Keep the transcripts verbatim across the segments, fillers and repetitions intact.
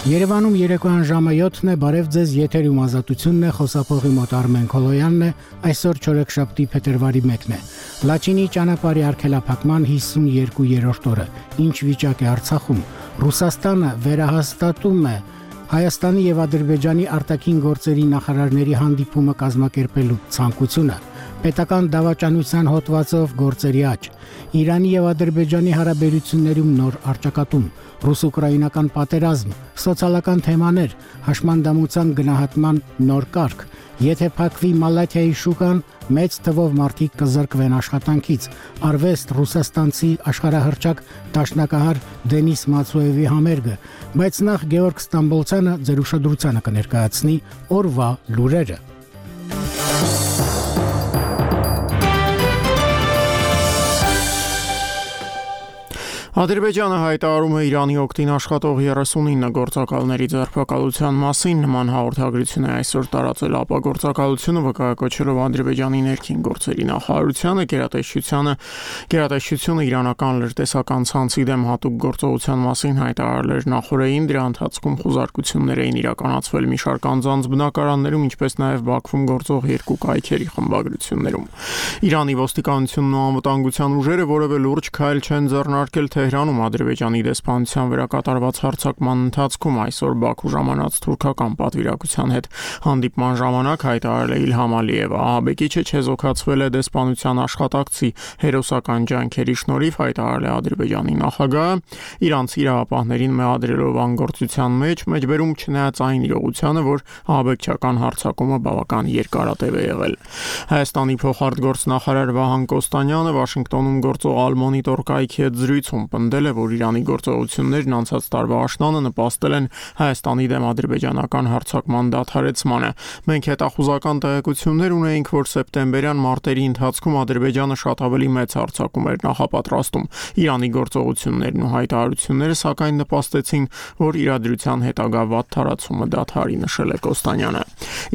Երևանում երեկոյան ժամը յոթն է, բարև ձեզ, եթերում ազատությունն է, խոսափողի մոտ Արմեն Քոլոյանն է, այսօր չորեքշաբթի փետրվարի մեկն է։ Լաչինի ճանապարհի արգելափակման հիսունյոթերորդ օրը, ինչ վիճակ է Արցախում, Ռուսաստանը վերահաստատում է Հայաստանի եւ Ադրբեջանի արտաքին գործերի նախարարների հանդիպումը կազմակերպելու ցանկությունը, պետական դավաճանության հոդվածով գործերի աճ, Իրանի եւ Ադրբեջանի հարաբերություններում նոր առճակատում, ռուս-ուկրաինական պատերազմ, սոցիալական թեմաներ, հաշմանդամության գնահատման նոր կարգ, եթե փակվի Մալաթիայի շուկան, մեծ թվով մարդիկ կզրկվեն աշխատանքից, արվեստ ռուսաստանցի աշխարհահռչակ դաշնակահար Դենիս Մացոևի համերգը, բայց նախ Գեորգ Ստամբոլցյանը ձեր ուշադրությանը կներկայացնի օրվա լուրերը։ Ադրբեջանը հայտարարում է Իրանի օգտին աշխատող երեսունինը գործակալների ձերբակալության մասին, նման հաղորդագրություն է այսօր տարածել ԱՊԱ գործակալությունը, վկայակոչելով Ադրբեջանի ներքին գործերի նախարարությանը, գերատեսչությանը, գերատեսչությունը իրանական լրտեսական ցանցի դեմ հատուկ գործողության մասին հայտարարել էր նախորդին, դրա ընթացքում խուզարկություններ էին իրականացվել մի շարք անձանց բնակարաններում, ինչպես նաև Բաքվում գործող երկու կայքերի խմբագրություններում։ Իրանի ոստիկանությունն ու անվտանգության ուժերը որևէ լուրջ քայլ չեն ձեռնարկել Թեհրանում Ադրբեջանի դեսպանության վրա կատարված հարձակման ընթացքում այսօր Բաքու ժամանած թուրքական պատվիրակության հետ հանդիպման ժամանակ հայտարարել է Իլհամ Ալիևը, ահաբեկիչը չեզոքացվել է դեսպանության աշխատակցի հերոսական ջանքերի շնորհիվ, հայտարարել է Ադրբեջանի նախագահը, իրանցի իրավապահներին մեղադրելով անգործության մեջ, մեջբերում չնայած այն իրողությանը, որ ահաբեկչական հարձակումը բավական երկարատև է եղել։ Հայաստանի փոխարտգործնախարար Վահան Կոստանյանը Վաշինգտոնում գործող Ալ-Մոնիտոր կայքի հետ զրույցում պնդել է, որ Իրանի գործողություններն անցած տարվա աշնանը նպաստել են Հայաստանի դեմ ադրբեջանական հարձակման դադարեցմանը։ Մենք հետախուզական տեղեկություններ ունեինք, որ սեպտեմբերյան մարտերի ընթացքում Ադրբեջանը շատ ավելի մեծ հարձակում էր նախապատրաստում։ Իրանի գործողություններն ու հայտարարությունները սակայն նպաստեցին, որ իրադրության հետագա վատ թարացումը դադարի, նշել է Կոստանյանը։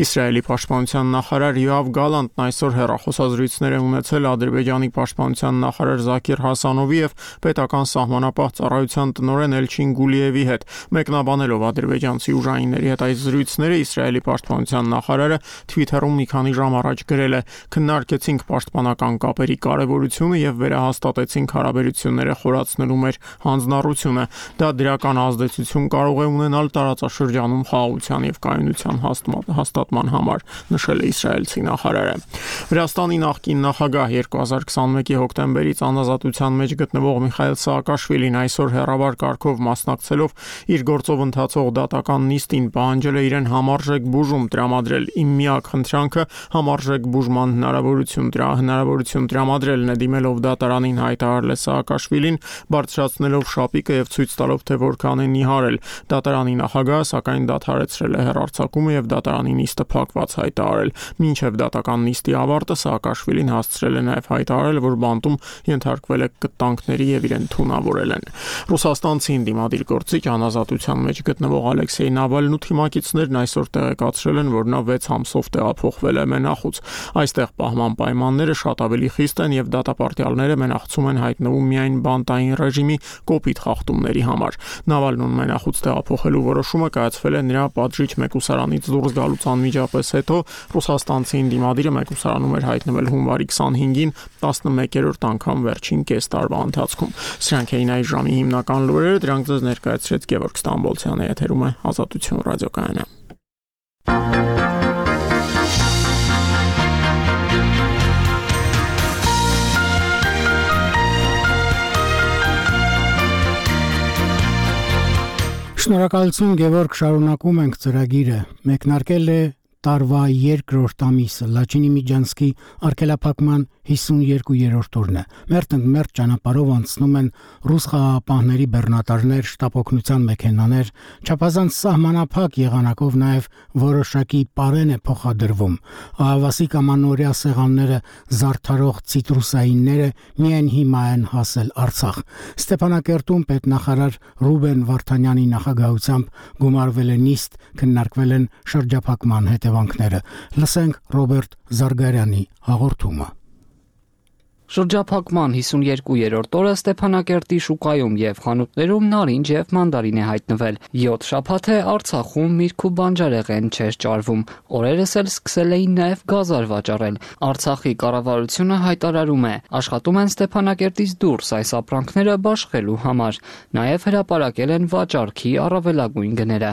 Իսրայելի պաշտպանության նախարար Յոավ Գալանտն այսօր հեռախոսազրույցներ է ունեցել Ադրբեջանի պաշտպանության նախարար Զաքիր Հասանովի եւ պետական սահմանապահ ծառայության տնօրեն Էլչին Գուլիևի հետ, մեկնաբանելով ադրբեջանցի ուժայինների հետ այս զրույցները, Իսրայելի պաշտպանության նախարարը Twitter-ում մի քանի ժամ առաջ գրել է. «Քննարկեցինք պաշտպանական կապերի կարևորությունը եւ վերահաստատեցինք հարաբերությունները խորացնելու մեր հանձնառությունը։ Դա դրական ազդեցություն կարող է ունենալ տարածաշրջանում խաղաղության եւ կայունության հաստատման համար», նշել է իսրայելցի նախարարը։ Վրաստանի նախկին նախագահ երկու հազար քսանմեկի հոկտեմբերից անազատության մեջ գտնվող Միխայիլ Սաակաշվիլին այսօր հեռավար կարգով մասնակցելով իր գործով ընթացող դատական նիստին պահանջել է իրեն համարժեք բուժում տրամադրել։ Իմ միակ խնդրանքը համարժեք բուժման հնարավորություն դրա հնարավորություն տրամադրելն է, դիմելով դատարանին հայտարարել է Սաակաշվիլին, բարձրացնելով շապիկը եւ ցույց տալով, թե որքան է նիհարել։ Դատարանի նախագահը սակայն դադարեցրել է հեռարձակումը եւ դատարանի նիստը փակված հայտարարել։ Մինչեւ դատական նիստի ավարտը Սաակաշվիլին հասցրել է նաեւ հայտարարել, որ բանտում ենթարկվել է կտանքների եւ իրեն թունավորել են։ Ռուսաստանցի դիմադիր գործիչ անազատության մեջ գտնվող Ալեքսեյ Նավալնու թիմակիցներն այսօր տեղեկացրել են, որ նա վեց ամսով տեղափոխվել է մենախուց։ Այստեղ պահման պայմանները շատ ավելի խիստ են եւ դատապարտյալները մենախցում են հայտնվում միայն բանտային ռեժիմի կոպիտ խախտումների համար։ Նավալնուն մենախուց տեղափոխելու որոշումը կայացվել է նրա պատժիչ մեկուսարանից դուրս գալուց անմիջապես հետո։ Ռուսաստանցի դիմադիրը մեկուսարանում էր հայտնվել հունվարի քսանհինգին, տասնմեկերորդ անգամ վերջին կես տարվա ընթացքում։ Սրանք էին այս ժամի հիմնական լուրերը, դրանք ձեզ ներկայացրեց Գեորգ Ստամբոլցյանը, եթերում է Ազատություն ռադիոկայանը։ Շնորհակալություն Գեորգ, շարունակում ենք ծրագիրը։ Մեկնարկել է տարվա երկրորդ ամիսը, Լաչինի Միջանցքի արգելափակման հիսունյոթերորդ օրն է։ Մերթ-ընդ-մերթ ճանապարհով անցնում են ռուս խաղաղապահների բեռնատարներ, շտապօգնության մեքենաներ, չափազանց սահմանափակ եղանակով նաև որոշակի պարեն է փոխադրվում։ Ահավասիկ ամանորյա սեղանները զարդարող ցիտրուսայինները միայն հիմա են հասել Արցախ։ Ստեփանակերտում պետնախարար Ռուբեն Վարդանյանի նախագահությամբ գումարվել է նիստ, քննարկվել են շրջափակման հետևանքները։ Լսենք Ռոբերտ Զարգարյանի հաղորդումը։ Շրջափակման հիսունյերկուերորդ օրը Ստեփանակերտի շուկայում եւ խանութներում նարինջ եւ մանդարին է հայտնվել։ յոթ շաբաթ է Արցախում միրգ ու բանջարեղեն չէր ճարվում։ Օրերս էլ սկսել էին նաեւ գազար վաճառել։ Արցախի կառավարությունը հայտարարում է, աշխատում են Ստեփանակերտից դուրս այս ապրանքները բաշխելու համար։ Նաեւ հրապարակել են վաճառքի առավելագույն գները։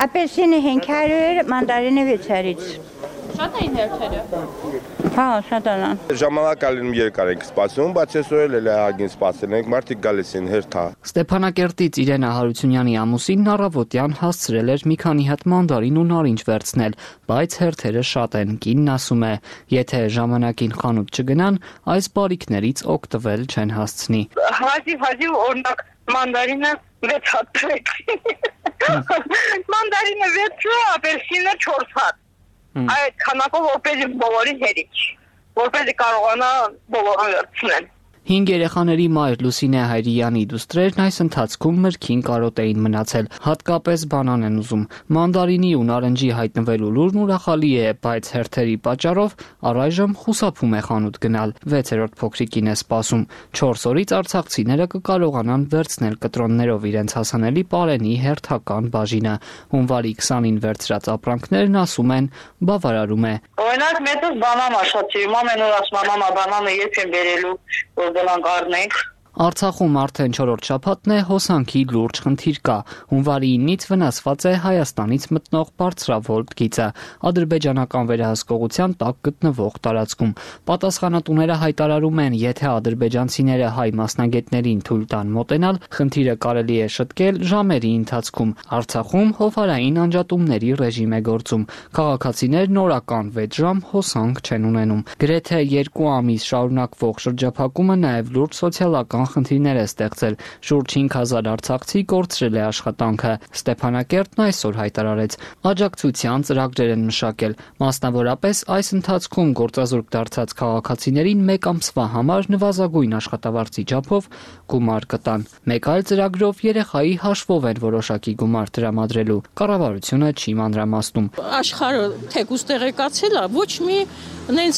Ապելսինը հինգ հարյուր, մանդարինը վեց հարյուր։ Շատ էին հերթերը։ Հա, շատ են։ Ժամանակ ալինում երկար ենք սպասում, բայց այսօր էլ հագին սպասել ենք, մարդիկ գալիս են հերթա։ Ստեփանակերտից Իրենա Հարությունյանի ամուսինն առավոտյան հասցրել էր մի քանի հատ մանդարին ու նարինջ վերցնել, բայց հերթերը շատ են։ Կինն ասում է, եթե ժամանակին խանութ չգնան, այս բարիքներից օգտվել չեն հասցնի։ Հազիվ-հազիվ օրինակ մանդարինը վեց հատ տրեցին։ Մանդարինը վեցը, ապելսինը չորս հատ։ Այդ քանակով որպեսզի բոլորին հերիք, որպեսզի կարողանա բոլորը վերցնել։ Հինգ երեխաների մայր Լուսինե Հայրյանի դուստրերն այս ընթացքում մրգին կարոտ էին մնացել, հատկապես բանան են ուզում։ Մանդարինի ու նարնջի հայտնվելու լուրն ուրախալի է, բայց հերթերի պատճառով առայժմ խուսափում է խանութ գնալ։ վեցերորդ փոքրիկին է սպասում։ չորս օրից արցախցիները կկարողանան վերցնել կտրոններով իրենց հասանելի պարենի հերթական բաժինը։ Հունվարի քսանին վերցրած ապրանքներն ասում են բավարարում է։ Օրինակ մեծս բանան աշխատի, ամեն օր ասում մամա բանանը երբ եմ բերելու, որ դրանք առնենք։ Արցախում արդեն չորրորդ շաբաթն է հոսանքի լուրջ խնդիր կա։ Հունվարի իննից վնասված է Հայաստանից մտնող բարձրավոլտ գիծը, ադրբեջանական վերահսկողության տակ գտնվող տարածքում։ Պատասխանատուները հայտարարում են, եթե ադրբեջանցիները հայ մասնագետներին թույլ տան մոտենալ, խնդիրը կարելի է շտկել ժամերի ընթացքում։ Արցախում հովհարային անջատումների ռեժիմ է գործում։ Քաղաքացիներն օրական վեց ժամ հոսանք չեն ունենում։ Գրեթե երկու ամիս շարունակվող շրջափակումը նաև լուրջ սոցիալական խնդիրներ է ստեղծել։ Շուրջ հինգ հազար արցախցի կորցրել է աշխատանքը։ Ստեփանակերտն այսօր հայտարարեց, աջակցության ծրագրեր են մշակել։ Մասնավորապես այս ընթացքում գործազուրկ դարձած քաղաքացիներին մեկ ամսվա համար նվազագույն աշխատավարձի չափով գումար կտան։ Մեկ այլ ծրագրով երեխայի հաշվով են որոշակի գումար տրամադրելու։ Կառավարությունը չի մանրամասնում։ Աշխարհը թեկուզ տեղեկացել է, ոչ մի նենց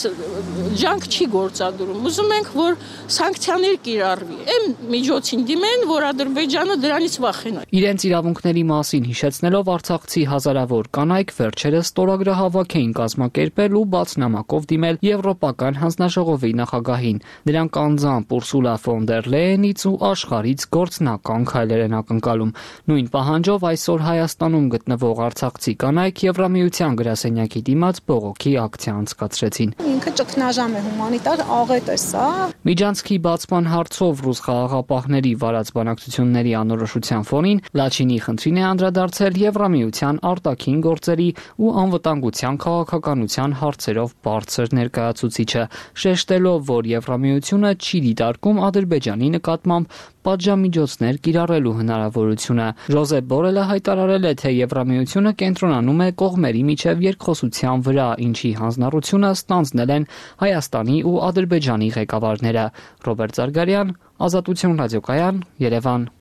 ջանք չի գործադրում։ Ուզում ենք, որ սանկցիաներ կիրառվի։ Այն միջոցին դիմեն, որ Ադրբեջանը դրանից վախենա։ Իրենց իրավունքների մասին հիշեցնելով արցախցի հազարավոր կանայք վերջերս ստորագրահավաք էին կազմակերպել ու բաց նամակով դիմել Եվրոպական հանձնաժողովի նախագահին։ Դրանք անձամբ Ուրսուլա ֆոն դեր Լեյենից ու աշխարհից գործնական քայլեր են ակնկալում։ Նույն պահանջով այսօր Հայաստանում գտնվող արցախցի կանայք Եվրամիության գրասենյակի դիմաց բողոքի ակցիա անցկացրեցին։ Ինքը ճգնաժամ է, հումանիտար աղետ է սա։ Միջանցքի բացման հարցով ռուս խաղաղապահների վարած բանակցությունների անորոշության ֆոնին Լաչինի խնդրին է անդրադարձել Եվրամիության արտաքին գործերի ու անվտանգության քաղաքականության հարցերով բարձր ներկայացուցիչը, շեշտելով, որ Եվրամիությունը չի դիտարկում Ադրբեջանի նկատմամբ պատժամիջոցներ կիրառելու հնարավորությունը։ Ժոզեփ Բորելը հայտարարել է, թե Եվրամիությունը կենտրոնանում է կողմերի միջև երկխոսության վրա, ինչի հանձնառությունը ստանձնել են Հայաստանի ու Ադրբեջանի ղեկավարները։ Ռոբերտ Զարգարյան, Ազատություն ռադիոկայան, Երևան։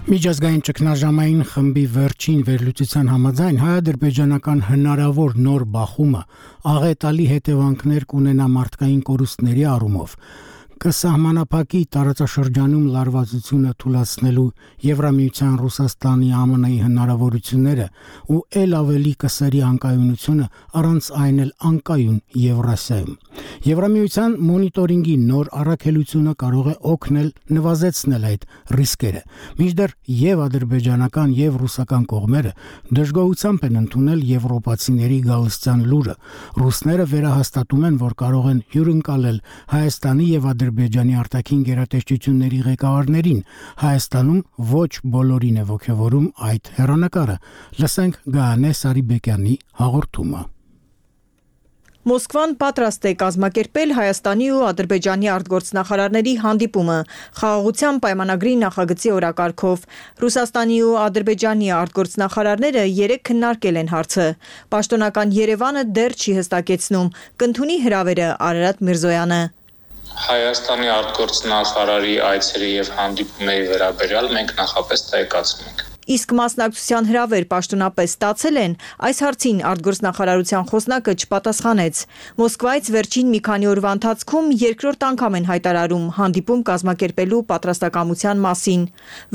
Միջազգային ճգնաժամային խմբի վերջին վերլուծության համաձայն հայ-ադրբեջանական հնարավոր նոր բախումը աղետալի հետևանքներ կունենա մարդկային կորուստների առումով, կսահմանափակի տարածաշրջանում լարվածությունը թուլացնելու Եվրամիության, Ռուսաստանի, ԱՄՆ-ի հնարավորությունները ու ել ավելի կսերի անկայունությունը առանց այն էլ անկայուն Եվրասիայում։ Եվրամիության մոնիտորինգի նոր առաքելությունը կարող է օգնել նվազեցնել այդ ռիսկերը։ Մինչդեռ եւ ադրբեջանական եւ ռուսական կողմերը դժգոհությամբ են ընդունել եվրոպացիների գալստյան լուրը։ Ռուսները վերահաստատում են, որ կարող են հյուրընկալել Հայաստանի եւ Ադրբեջանի արտաքին գերատեսչությունների ղեկավարներին։ Հայաստանում ոչ բոլորին է ոգևորում այդ հեռանկարը։ Լսենք Գայանե Սարիբեկյանի հաղորդումը։ Մոսկվան պատրաստ է կազմակերպել Հայաստանի ու Ադրբեջանի արտգործնախարարների հանդիպումը խաղաղության պայմանագրի նախագծի օրակարգով։ Ռուսաստանի ու Ադրբեջանի արտգործնախարարները երեկ քննարկել են հարցը։ Պաշտոնական Երևանը դեռ չի հստակեցնում, կընդունի հրավերը Արարատ Միրզոյանը։ Հայաստանի արտգործնախարարի այցերի եւ հանդիպումների վերաբերյալ մենք նախապես տեղեկացնում ենք։ Իսկ մասնակցության հրավեր պաշտոնապես ստացել են, այս հարցին արտգործնախարարության խոսնակը չպատասխանեց։ Մոսկվայից վերջին մի քանի օրվա ընթացքում երկրորդ անգամ են հայտարարում հանդիպում կազմակերպելու պատրաստակամության մասին։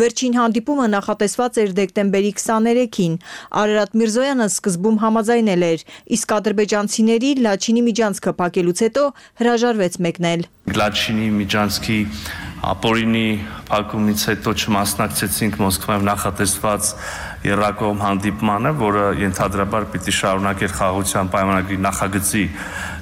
Վերջին հանդիպումը նախատեսված էր դեկտեմբերի քսաներեքին։ Արարատ Միրզոյանը սկզբում համաձայնել էր, իսկ ադրբեջանցիների Լաչինի միջանցքը փակելուց հետո հրաժարվեց մեկնել։ Լաչինի միջանցքի ապօրինի փակումից հետո չմասնակցեցինք Մոսկվայում նախատեսված եռակողմ հանդիպմանը, որը ենթադրաբար պիտի շարունակեր խաղաղության պայմանագրի նախագծի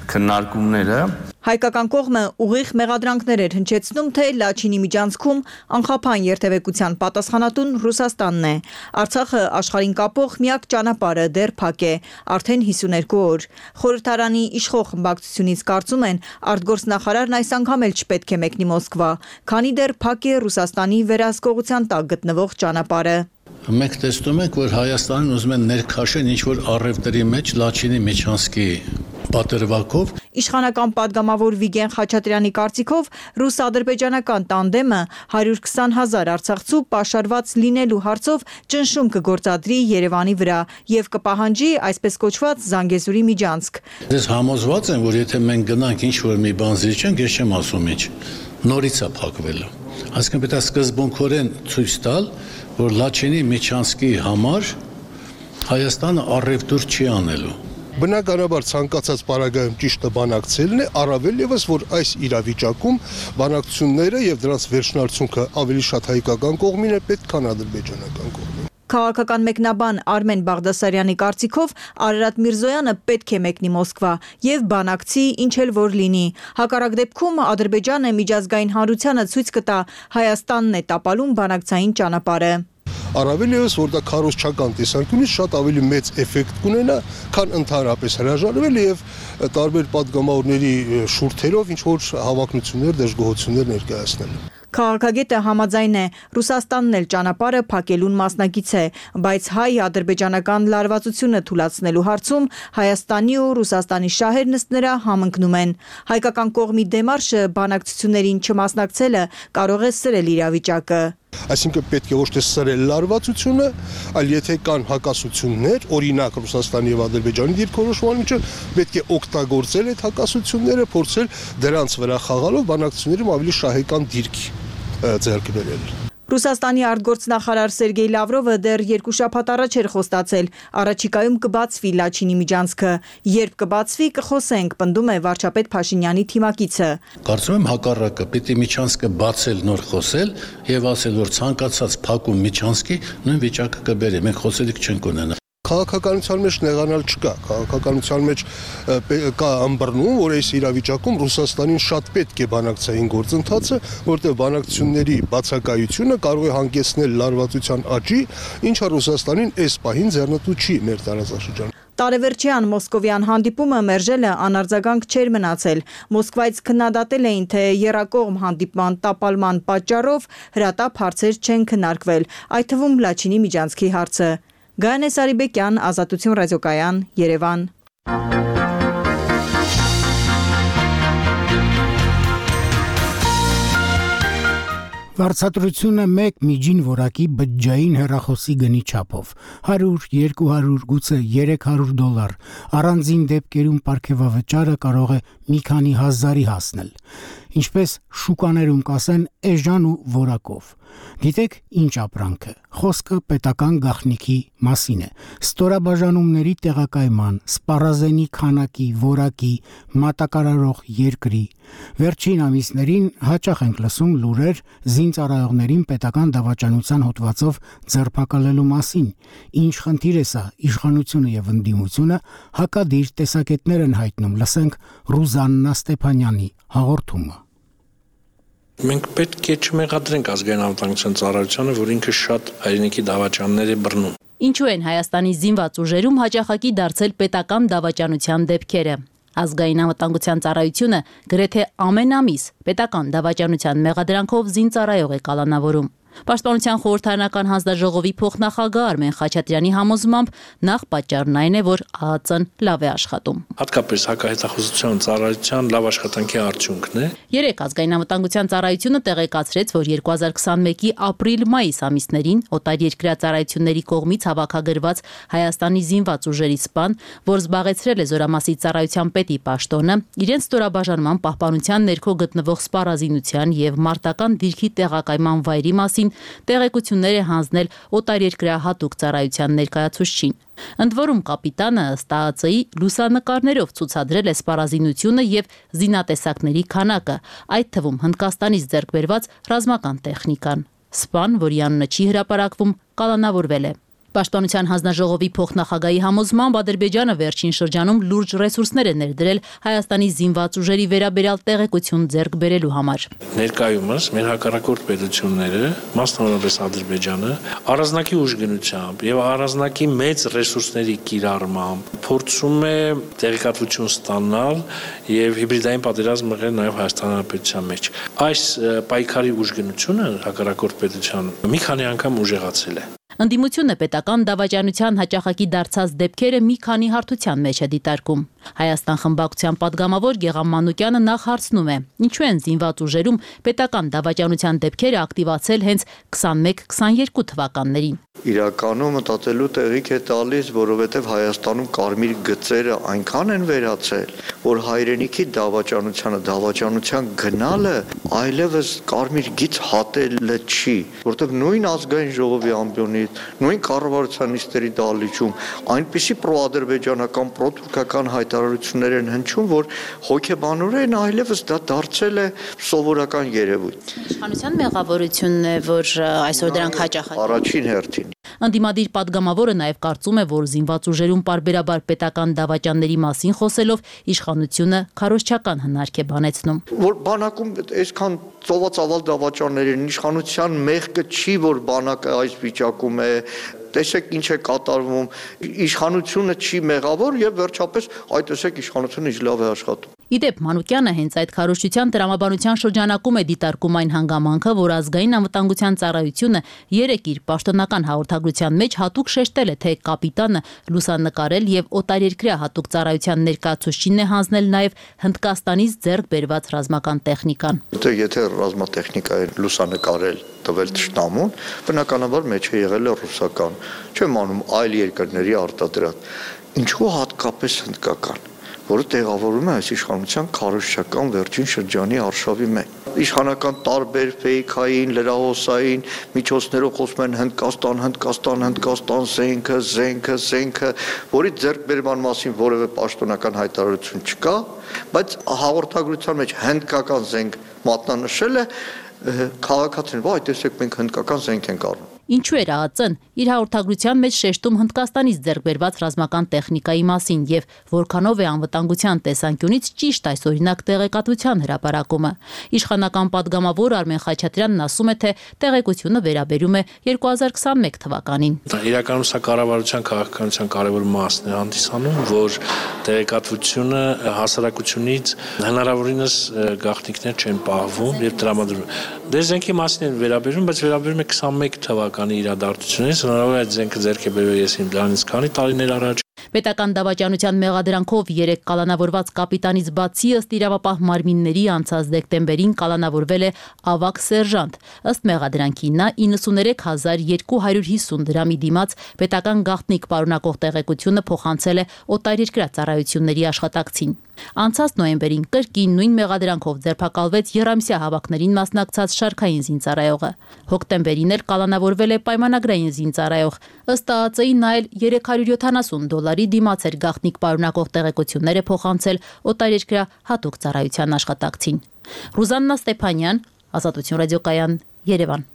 քննարկումները։ Հայկական կողմը ուղիղ մեղադրանքներ էր հնչեցնում, թե Լաչինի միջանցքում անխափան երթևեկության պատասխանատուն Ռուսաստանն է։ Արցախը աշխարհին կապող միակ ճանապարհը դեռ փակ է, արդեն հիսուներկու օր։ Խորհրդարանի իշխող խմբակցությունից կարծում են, արտգործնախարարն այս անգամ էլ չպետք է մեկնի Մոսկվա, քանի դեռ փակ է Ռուսաստանի վերահսկողության տակ գտնվող ճանապարհը։ Մենք տեսնում ենք, որ Հայաստանն ուզում են ներքաշեն ինչ-որ առևտրի մեջ Լաչինի միջանցքի պատրվակով։ Իշխանական падգամավոր Վիգեն Խաչատրյանի կարծիքով ռուս-ադրբեջանական տանդեմը հարյուր քսան հազար արցախցու պաշարված լինելու հարցով ճնշում կգործադրի Երևանի վրա եւ կպահանջի այսպես կոչված Զանգեզուրի միջանցք։ Ես համոզված եմ, որ եթե մենք գնանք ինչ-որ մի բան զիջենք, ես չեմ ասում ինչ, նորից է փակվելու։ Այսինքն պետք է սկզբունքորեն ցույց տալ, որ Լաչինի միջանցքի համար Հայաստանը առևտուր չի անելու։ Բնականաբար ցանկացած պարագայում ճիշտը բանակցելն է, առավել եւս որ այս իրավիճակում բանակցությունները եւ դրանց վերջնարդյունքը ավելի շատ հայկական կողմին է պետք, քան ադրբեջանական կողմին։ Քաղաքական մեկնաբան Արմեն Բաղդասարյանի կարծիքով Արարատ Միրզոյանը պետք է մեկնի Մոսկվա եւ բանակցի ինչ էլ որ լինի։ Հակառակ դեպքում Ադրբեջանը միջազգային հանրությանը ցույց կտա Հայաստանն է տապալում բանակցային ճանապարհը։ Առավել եւս որ դա քարոզչական տեսանկյունից շատ ավելի մեծ էֆեկտ կունենա, քան ընդհանրապես հրաժարվել եւ տարբեր падգամավորների շուրթերով ինչ որ հավակնություններ, դժգոհություններ ներկայացնել։ Քաղաքագետը համաձայն է, Ռուսաստանն էլ ճանապարհը փակելուն մասնակից է, բայց հայ-ադրբեջանական լարվածությունը թույլատնելու հարցում Հայաստանի ու Ռուսաստանի շահերն ըստ նրա համընկնում են։ Հայկական կողմի դեմարշը բանակցություններին չմասնակցելը կարող է սրել իրավիճակը։ Այսինքն պետք է ոչ թե սրել լարվածությունը, այլ եթե կան հակասություններ, օրինակ Ռուսաստանի եւ Ադրբեջանի դիրքորոշման միջեւ, պետք է օգտագործել այդ հակասությունները, փորձել դրանց վրա խաղալով բանակցություններում ավելի շահեկան դիրք ձեռք բերել։ Ռուսաստանի արտգործնախարար Սերգեյ Լավրովը դեռ երկու շաբաթ առաջ էր խոստացել, առաջիկայում կբացվի Լաչինի միջանցքը, երբ կբացվի կխոսենք, պնդում է վարչապետ Փաշինյանի թիմակիցը։ Կարծում եմ հակառակը, պիտի միջանցքը բացել, նոր խոսել եւ ասել, որ ցանկացած փակում միջանցքի նույն վիճակը կբերի, մենք խոսելիք չենք ունենա։ Քաղաքականության մեջ նեղանալ չկա, քաղաքականության մեջ կա ըմբռնում, որ այս իրավիճակում Ռուսաստանին շատ պետք է բանակցային գործընթացը, որտեղ բանակցությունների բացակայությունը կարող է հանգեցնել լարվածության աճի, ինչը Ռուսաստանին այս պահին ձեռնտու չի մեր տարածաշրջանում։ Տարեվերջյան մոսկովյան հանդիպումը մերժելը անարձագանք չէր մնացել։ Մոսկվայից քննադատել էին, թե եռակողմ հանդիպման տապալման պատճառով հրատապ հարցեր չեն քննարկվել, այդ թվում Լաչինի միջանցքի հարցը։ Գայանե Սարիբեկյան, Ազատություն ռադիոկայան, Երևան։ Վարձատրությունը մեկ միջին որակի բջջային հեռախոսի գնի չափով հարյուր, երկու հարյուր, գուցե երեք հարյուր դոլար առանձին դեպքերում պարգևավճարը կարող է մի քանի հազարի հասնել, ինչպես շուկաներում կասեն էժան ու որակով։ Գիտեք ինչ ապրանքը, խոսքը պետական գաղտնիքի մասին է, ստորաբաժանումների տեղակայման, սպառազենի քանակի, որակի, մատակարարող երկրի։ Վերջին ամիսներին հաճախ ենք լսում լուրեր զինծառայողներին պետական դավաճանության հոդվածով ձերբակալելու մասին, ինչ խնդիր է սա իշխանությունը եւ ընդդիմությունը հակադիր տեսակետներ են հայտնում, լսենք Ռուզաննա Ստեփանյանի հաղորդումը։ Մենք պետք է չմեղադրենք ազգային անվտանգության ծառայությանը, որ ինքը շատ հայրենիքի դավաճաններ է բռնում։ Ինչու են Հայաստանի զինված ուժերում հաճախակի դարձել պետական դավաճանության դեպքերը։ Ազգային անվտանգության ծառայությունը գրեթե ամեն ամիս պետական դավաճանության մեղադրանքով զինծառայող է կալանավորում։ Պաշտպանության խորհրդարանական հանձնաժողովի փոխնախագահ Արմեն Խաչատրյանի համոզմամբ նախ պատճառն այն է, որ ԱԱԾ-ն լավ է աշխատում։ Հատկապես հակահետախուզության ծառայության լավ աշխատանքի արդյունքն է։ Երեք ազգային անվտանգության ծառայությունը տեղեկացրեց, որ երկու հազար քսանմեկի ապրիլ-մայիս ամիսներին օտարերկրյա ծառայությունների կողմից հավաքագրված Հայաստանի զինված ուժերի սպան, որ զբաղեցրել է Զորամասի ծառայության պետի պաշտոնը, իրենց ստորաբաժանման պահպանության ներքո գտնվող սպառազինության եւ մարտական դիրքի տեղակայման վայրի մասին տեղեկություններ է հանձնել օտարերկրյա հատուկ ծառայության ներկայացուցչին։ Ընդ որում կապիտանը ըստ ԱԱԾ-ի լուսանկարներով ցուցադրել է սպառազինությունը եւ զինատեսակների քանակը, այդ թվում Հնդկաստանից ձեռք բերված ռազմական տեխնիկան։ Սպան, որի անունը չի հրապարակվում, կալանավորվել է։ Պաշտպանության հանձնաժողովի փոխնախագահի համոզմամբ Ադրբեջանը վերջին շրջանում լուրջ ռեսուրսներ է ներդրել Հայաստանի զինված ուժերի վերաբերյալ տեղեկություն ձեռք բերելու համար։ Ներկայումս մեր հակառակորդ պետությունները, մասնավորապես Ադրբեջանը, առանձնակի ուժգնությամբ եւ առանձնակի մեծ ռեսուրսների կիրառմամբ փորձում է տեղեկատվություն ստանալ եւ հիբրիդային պատերազմ մղել նաեւ Հայաստանի Հանրապետության մեջ։ Այս պայքարի ուժգնությունը հակառակորդ պետության մի քանի անգամ ուժեղացել է։ Ընդդիմությունը պետական դավաճանության հաճախակի դարձած դեպքերը մի քանի հարթության մեջ է դիտարկում։ Հայաստան խմբակցության падգամավոր Գեղամ Մանուկյանը նախ հարցնում է. ինչու են զինված ուժերում պետական դավաճանության դեպքերը ակտիվացել հենց քսանմեկ քսաներկու թվականներին։ Իրականում մտածելու տեղիք է տալիս, որովհետև Հայաստանում կարմիր գծերը այնքան են վերացել, որ հայրենիքի դավաճանությանը, դավաճանության գնալը այլևս կարմիր գիծ հատելը չի, որովհետև նույն ազգային ժողովի ամբիոնից, նույն կառավարության նիստերի դահլիճում այնպիսի պրոադրբեջանական, պրոթուրքական հայտարարություններ են հնչում, որ հոգեբանորեն այլևս դա դարձել է սովորական երևույթ։ Իշխանության մեղավորությունն է, որ այսօր դրանք հաճախ առաջին հերթին։ Ընդդիմադիր падգամավորը նաև կարծում է, որ զինված ուժերում պարբերաբար պետական դավաճանների մասին խոսելով իշխանությունը քարոզչական հնարք է բանեցնում։ Որ բանակում այսքան ծովածավալ դավաճաններ են, իշխանության մեղքը չի, որ բանակը այս վիճակում է, տեսեք ինչ է կատարվում, իշխանությունը չի մեղավոր եւ վերջապես այդ տեսեք իշխանությունը ինչ լավ է աշխատում։ Իդեպ Մանուկյանը հենց այդ քարոզչության տրամաբանության շրջանակում է դիտարկում այն հանգամանքը, որ ազգային անվտանգության ծառայությունը երեք իր պաշտոնական հաղորդագրության մեջ հատուկ շեշտել է, թե կապիտանը լուսանկարել եւ օտարերկրյա հատուկ ծառայության ներկայացուցիչին է հանձնել նաեւ Հնդկաստանից ձեռք բերված ռազմական տեխնիկան։ Եթե ռազմատեխնիկա է լուսանկարել տվել ճշտամուն, բնականաբար մեջ է եղել է ռուսական, չեմ անում այլ երկրների արտադրած։ Ինչու հատկապես հնդկական, որը տեղավորում է այս իշխանության քարոզչական վերջին շրջանի արշավի մեջ։ Իշխանական տարբեր ֆեյքային, լրահոսային միջոցներով խոսում են Հնդկաստան, Հնդկաստան, Հնդկաստան, զենքը, զենքը, զենքը, որի ձեռքբերման մասին որևէ պաշտոնական հայտարարություն չկա, բայց հաղորդագրության մեջ հնդկական զենք մատնանշել է, քաղաքացին, «Վայ, տեսեք, մենք հնդկական զենք ենք առնում»։ Ինչու էր ԱԱԾ-ն իր հաղորդագրության մեջ շեշտում Հնդկաստանից ձեռք բերված ռազմական տեխնիկայի մասին եւ որքանով է անվտանգության տեսանկյունից ճիշտ այս օրինակ տեղեկատվության հրապարակումը։ Իշխանական падգամավոր Արմեն Խաչատրյանն ասում է, թե տեղեկությունը վերաբերում է երկու հազար քսանմեկ թվականին։ Իրականում սա կառավարության քաղաքականության կարևոր մասն է հանդիսանում, որ տեղեկատվությունը հասարակությունից հնարավորինս գաղտնիքներ չեն պահվում եւ տրամադրվում։ Դե զենքի մասին են վերաբերում, բայց վերաբերում է քսանմեկ թվականի իրադարձությունից, հնարավոր է այդ զենքը ձեռք է բերվել ես իմ դրանից քանի տարիներ առաջ։ Պետական դավաճանության մեղադրանքով երեք կալանավորված կապիտանից բացի ըստ իրավապահ մարմինների անցած դեկտեմբերին կալանավորվել է ավագ սերժանտ։ Ըստ մեղադրանքի նա իննսուներեք հազար երկու հարյուր հիսուն դրամի դիմաց պետական գաղտնիք պարունակող տեղեկությունը փոխանցել է օտարերկրյա ծառայությունների աշխատակցին։ Անցած նոյեմբերին կրկին նույն մեղադրանքով ձերբակալվեց եռամսյա հավաքներին մասնակցած շարքային զինծառայողը։ Հոկտեմբերին էլ կալանավորվել է պայմանագրային զինծառայող։ Ըստ ԱԱԾ-ի նա էլ երեք հարյուր յոթանասուն դոլարի դիմաց էր գաղտնիք պարունակող տեղեկություններ է փոխանցել օտարերկրյա հատուկ ծառայության աշխատակցին։ Ռուզաննա Ստեփանյան, Ազատություն ռադիոկայան, Երևան։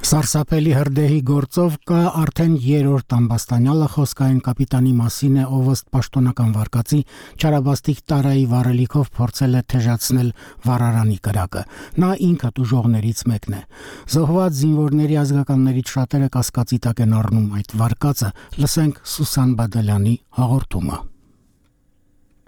Սարսափելի հրդեհի գործով կա արդեն երրորդ ամբաստանյալը խոսքային կապիտանի մասին է, ով ըստ պաշտոնական վարկածի Չարաբաստիկ տարայի վարելիքով փորձել է թեժացնել վառարանի կրակը։ Նա ինքը տուժողներից մեկն է։ Զոհված զինվորների ազգականներից շատերը կասկածի տակ են առնում այդ վարկածը։ Լսենք Սուսան Բադալյանի հաղորդումը։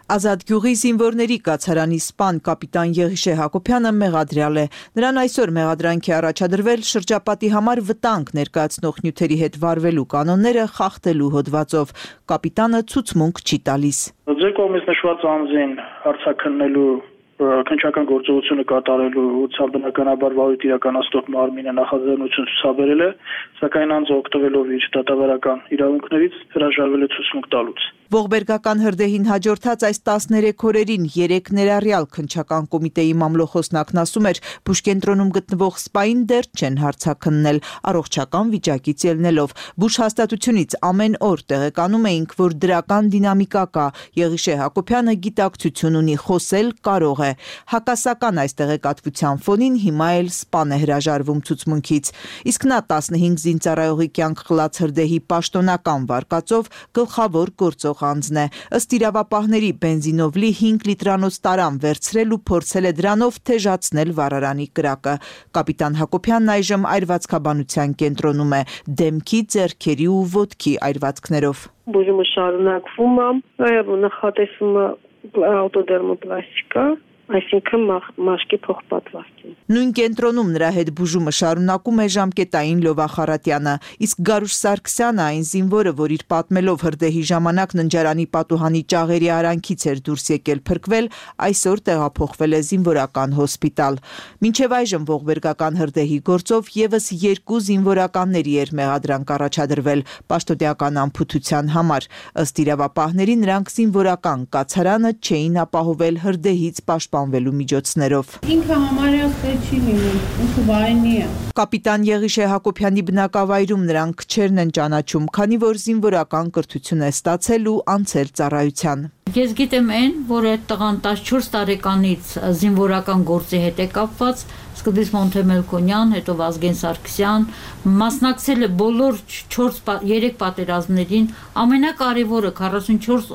Ազատ գյուղի զինվորների կացարանի սպան կապիտան Եղիշե Հակոբյանը մեղադրյալ է։ Նրան այսօր մեղադրանքի առաջադրվել շրջապատի համար վտանգ ներկայացնող նյութերի հետ վարվելու կանոնները խախտելու հոդվածով։ Կապիտանը ցուցմունք չի տալիս։ Ձեր կողմից նշված անձին հարցաքննելու քննչական գործողությունը կատարելու ուղղությամբ բնականաբար վարույթ իրականացնող մարմինը նախաձեռնություն ցուցաբերել է, սակայն անձը օգտվելով իր դատավարական իրավունքներից հրաժարվել է ցուցմունք տալուց։ Ողբերգական հրդեհին հաջորդած այս տասներեք օրերին երեք ներառյալ քննչական կոմիտեի մամլոխոսնակն ասում էր, Բուշկենտրոնում գտնվող սպային դեռ չեն հարցաքննել, առողջական վիճակից ելնելով։ Բուշ հաստատությունից ամեն օր տեղեկանում էինք, որ դրական դինամիկա կա։ Եղիշե Հակոբյանը գիտակցություն ունի, խոսել կարող է։ Հակասական այս տեղեկատվության ֆոնին հիմա էլ սպան է հրաժարվում ցուցմունքից։ Իսկ նա տասնհինգ զինծառայողի կյանք խլած հրդեհի պաշտոնական վարկածով գլխավոր գործող անձն է։ Ըստ իրավապահների բենզինով լի հինգ լիտրանոց տարան վերցրել ու փորձել է դրանով թեժացնել վառարանի կրակը։ Կապիտան Հակոբյանն այժմ այրվածքաբանության կենտրոնում է դեմքի, ձեռքերի ու ոտքի այրվածքներով։ Բուժումը շարունակվում է, նաև նախատեսվում է ավտոդերմոպլաստիկա, այսինքն մաշկի փոխպատվաստում։ Նույն կենտրոնում նրա հետ բուժումը շարունակում է ժամկետային Լովա Խարատյանը, իսկ Գարուշ Սարգսյանը, այն զինվորը, որ իր պատմելով հրդեհի ժամանակ ննջարանի պատուհանի ճաղերի արանքից էր դուրս եկել փրկվել, այսօր տեղափոխվել է զինվորական հոսպիտալ։ Մինչև այժմ ողբերգական հրդեհի գործով եւս երկու զինվորականների էր մեղադրանք առաջադրվել պաշտոնական անփութության համար։ Ըստ իրավապահների նրանք զինվորական կացարանը չէին ապահովել հրդեհից պաշտպանվելու միջոցներով։ Ինքը համարյա չի լինում, ինքը վայնի է։ Կապիտան Եղիշե Հակոբյանի բնակավայրում նրանք քչերն են ճանաչում, քանի որ զինվորական կրթություն է ստացել ու անցել ծառայության։ Ես գիտեմ այն, որ այդ տղան տասնչորս տարեկանից զինվորական գործի հետ է կապված, սկզբից Մոնթե Մելքոնյան, հետո Վազգեն Սարգսյան, մասնակցել է բոլոր երեք պատերազմներին, ամենակարևորը քառասունչորս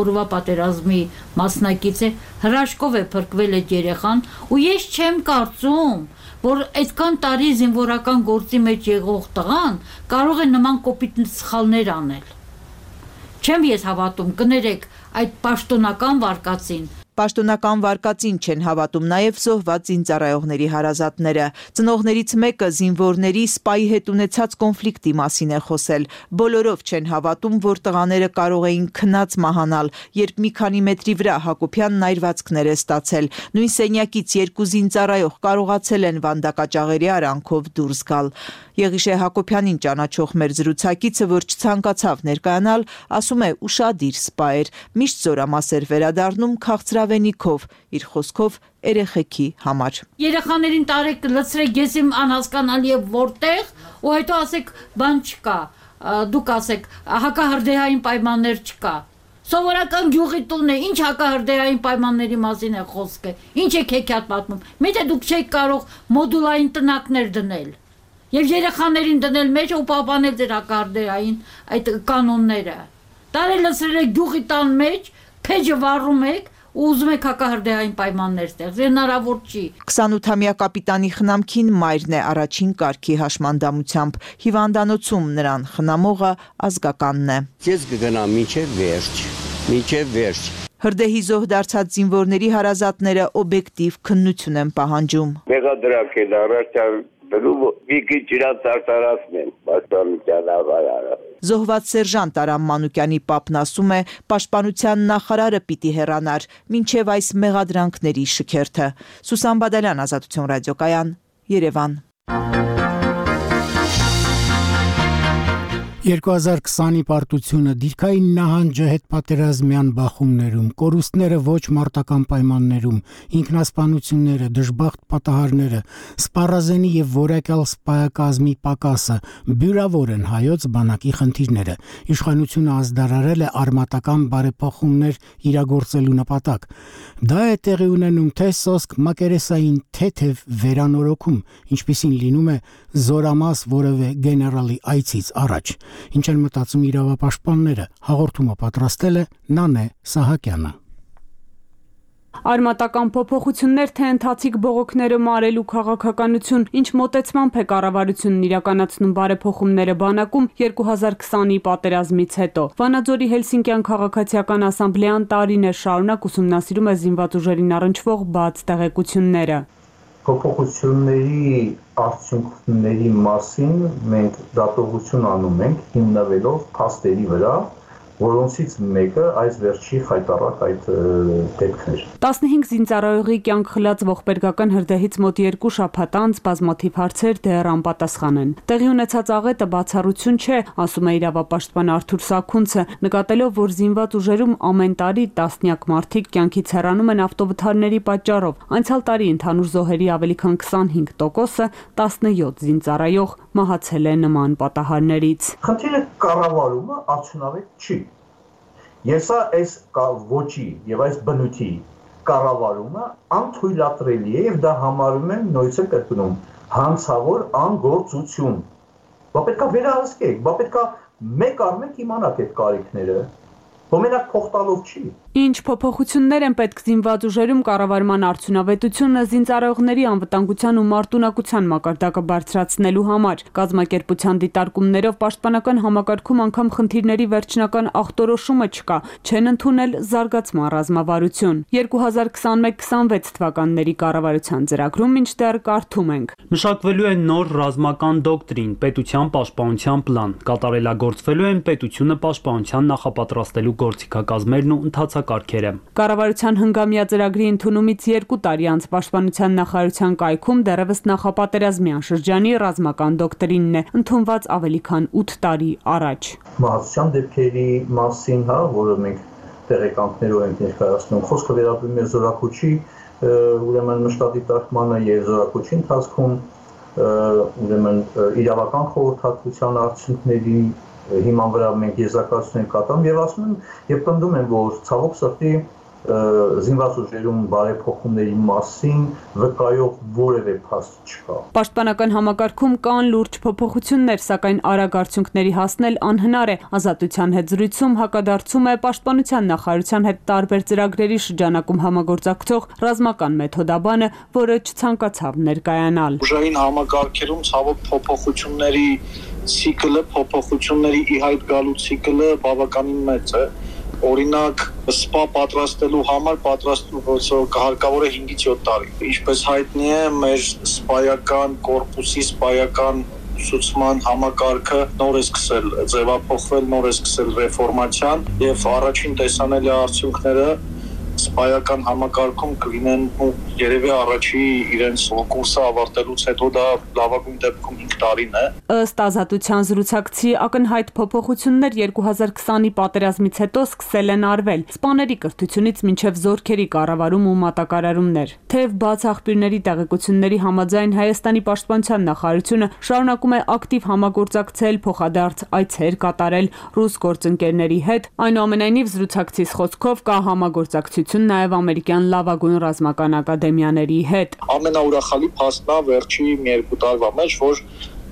օրվա պատերազմի մասնակից է, հրաշքով է փրկվել այդ երեխան, ու ես չեմ կարծում, որ այդքան տարի զինվորական գործի մեջ եղող տղան կարող է նման կոպիտ սխալներ անել։ Չեմ ես հավատում, կներեք այդ պաշտոնական վարկածին։ Պաշտոնական վարկածին չեն հավատում նաև զոհված զինծառայողների հարազատները։ Ծնողներից մեկը զինվորների սպայի հետ ունեցած կոնֆլիկտի մասին է խոսել։ Բոլորով չեն հավատում, որ տղաները կարող էին քնած մահանալ, երբ մի քանի մետրի վրա Հակոբյանն այրվածքներ է ստացել։ Նույն սենյակից երկու զինծառայող կարողացել են վանդակաճաղերի արանքով դուրս գալ։ Եղիշե Հակոբյանին ճանաչող մեր զրուցակիցը, որ չցանկացավ ներկայանալ, ասում է ուշադիր սպա էր, միշտ զորամաս էր վերադառնում քաղցրավենիքով, իր խոսքով երեխեքի համար։ Երեխաներին տարեք լցրեք, ես իմ անհասկանալի է որտեղ, ու հետո ասեք բան չկա, դուք ասեք հակահրդեհային պայմաններ չկա։ Սովորական գյուղի տունն է, ինչ հակահրդեհային պայմանների մասին է խոսքը, ինչ եք հեքիաթ պատմում։ Միթե դուք չեք կարող մոդուլային տնակներ դնել եւ երեխաներին դնել մեջ ու պահպանել դեր հակահրդեհային այդ կանոնները։ Տարել լցրել եք գյուղի տան մեջ, փեջը վառում եք ու ուզում եք հակահրդեհային պայմաններ ստեղծել, հնարավոր չի։ քսանութամյա կապիտանի խնամքին մայրն է առաջին կարգի հաշմանդամությամբ։ Հիվանդանոցում նրան խնամողը ազգականն է։ Ես կգնամ մինչև վերջ, մինչև վերջ։ Հրդեհի զոհ դարձած զինվորների հարազատները օբյեկտիվ քննություն են պահանջում։ Մեղադրակ են առաջար Զոհված սերժանտ Արամ Մանուկյանի պապն ասում է, պաշտպանության նախարարը պիտի հեռանար մինչև այս մեղադրանքների շքերթը։ Սուսան Բադալյան, Ազատություն ռադիոկայան, Երևան։ երկու հազար քսանի պարտությունը դիրքային նահանջը հետպատերազմյան բախումներում, կորուստները ոչ մարտական պայմաններում, ինքնասպանությունները, դժբախտ պատահարները, սպառազենի եւ որակյալ սպայակազմի պակասը բյուրավոր են հայոց բանակի խնդիրները։ Իշխանությունը ազդարարել է արմատական բարեփոխումներ իրագործելու նպատակ։ Դա է տեղի ունենում թե սոսկ մակերեսային թեթև վերանորոգում, ինչպիսին լինում է զորամաս որևէ գեներալի այցից առաջ։ Ինչ են մտածում իրավապաշտպանները, հաղորդումը պատրաստել է Նանե Սահակյանը։ Արմատական փոփոխություններ, թե ընթացիկ բողոքները մարելու քաղաքականություն, ինչ մոտեցմամբ է կառավարությունն իրականացնում բարեփոխումները բանակում երկու հազար քսանի պատերազմից հետո։ Վանաձորի Հելսինկյան քաղաքացիական ասամբլեան տարիներ շարունակ ուսումնասիրում է զինված ուժերին առնչվող բաց տեղեկությունները։ Փոփոխությունների արդյունքների մասին մենք դատողություն անում ենք հիմնվելով փաստերի վրա, որոնցից մեկը այս վերջի խայտառակ այդ դեպքն էր։ տասնհինգ զինծառայողի կյանք խլած ողբերգական հրդեհից մոտ երկու շաբաթ անց բազմաթիվ հարցեր դեռ անպատասխան են։ Տեղի ունեցած աղետը բացառություն չէ, ասում է իրավապաշտպան Արթուր Սաքունցը, նկատելով, որ զինված ուժերում ամեն տարի տասնյակ մարդիկ կյանքից հեռանում են ավտովթարների պատճառով։ Անցյալ տարի ընդհանուր զոհերի ավելի քան քսանհինգ տոկոսը տասնյոթ զինծառայող մահացել է նման պատահարներից։ Խնդիրը կառավարումը արդյունավետ չի։ Եվ սա այս ոչի եւ այս բնույթի կառավարումը անթույլատրելի է եւ դա համարում են նույնիսկ կրկնում հանցավոր անգործություն։ Բա պետքա վերահսկեք, բա պետքա մեկ առ մեկ իմանաք այդ կարիքները։ Ոմենակ փոխտալով չի։ Ինչ փոփոխություններ են պետք զինված ուժերում կառավարման արդյունավետությունը զինծառայողների անվտանգության ու մարտունակության մակարդակը բարձրացնելու համար։ Կազմակերպության դիտարկումներով պաշտպանական համակարգում անգամ խնդիրների վերջնական ախտորոշումը չկա, չեն ընդունել զարգացման ռազմավարություն։ երկու հազար քսանմեկ քսանվեց թվականների կառավարության ծրագրում մինչդեռ կարդում ենք. Մշակվելու է նոր ռազմական դոկտրին, պետության պաշտպանության պլան, կատարելագործվելու են պետությունը պաշտպանության նախապատրաստելու գործիքակազմերն ու ընթացակարգերը։ Կառավարության հնգամյա ծրագրի ընդունումից երկու տարի անց Պաշտպանության նախարարության կայքում դեռևս նախապատերազմյան շրջանի ռազմական դոկտրինն է ընդունված ավելի քան ութ տարի առաջ։ Մահացության դեպքերի մասին, հա, որը մենք տեղեկանքներով ենք ներկայացնում, խոսքը վերաբերում է զորակոչի, ուրեմն մշտադիտարկմանը եւ զորակոչի ընթացքում, ուրեմն իրավական խորհրդատվության արդյունքների հիման վրա մենք եզրակացություն ենք կատարում եւ ասում եմ եւ պնդում եմ, որ ցավոք սրտի զինված ուժերում բարեփոխումների մասին վկայող որևէ փաստ չկա։ Պաշտպանական համակարգում կան լուրջ փոփոխություններ, սակայն արագ արդյունքների հասնել անհնար է։ Ազատության հետ զրույցում հակադարձում է Պաշտպանության նախարարության հետ տարբեր ծրագրերի շրջանակում համագործակցող ռազմական մեթոդաբանը, որը չցանկացավ ներկայանալ։ Ուժային համակարգերում ցավոք փոփոխությունների ցիկլը, փոփոխությունների ի հայտ գալու ցիկլը բավականին մեծ է։ Օրինակ, սպա պատրաստելու համար պատրաստելու հարկավոր է հինգից յոթ տարի։ Ինչպես հայտնի է, մեր սպայական կորպուսի սպայական ուսուցման համակարգը նոր է սկսել ձևափոխվել, նոր է սկսել ռեֆորմացիան եւ առաջին տեսանելի արդյունքները սպայական համակարգում կլինեն երևի առաջի իրենց կուրսը ավարտելուց հետո դա լավագույն դեպքում հինգ տարին է։ Ըստ Ազատության զրուցակցի ակնհայտ փոփոխություններ երկու հազար քսանի պատերազմից հետո սկսել են արվել, սպաների կրթությունից մինչև զորքերի կառավարում ու մատակարարումներ։ Թեև բաց աղբյուրների տեղեկությունների համաձայն Հայաստանի պաշտպանության նախարարությունը շարունակում է ակտիվ համագործակցել, փոխադարձ այցեր կատարել ռուս գործընկերների հետ, այնուամենայնիվ զրուցակցիս խոսքով կա համագործակցություն նաև ամերիկյան լավագույն ռազմական ակադեմիաների հետ։ Ամենաուրախալի փաստն է վերջի մի երկու տարվա մեջ, որ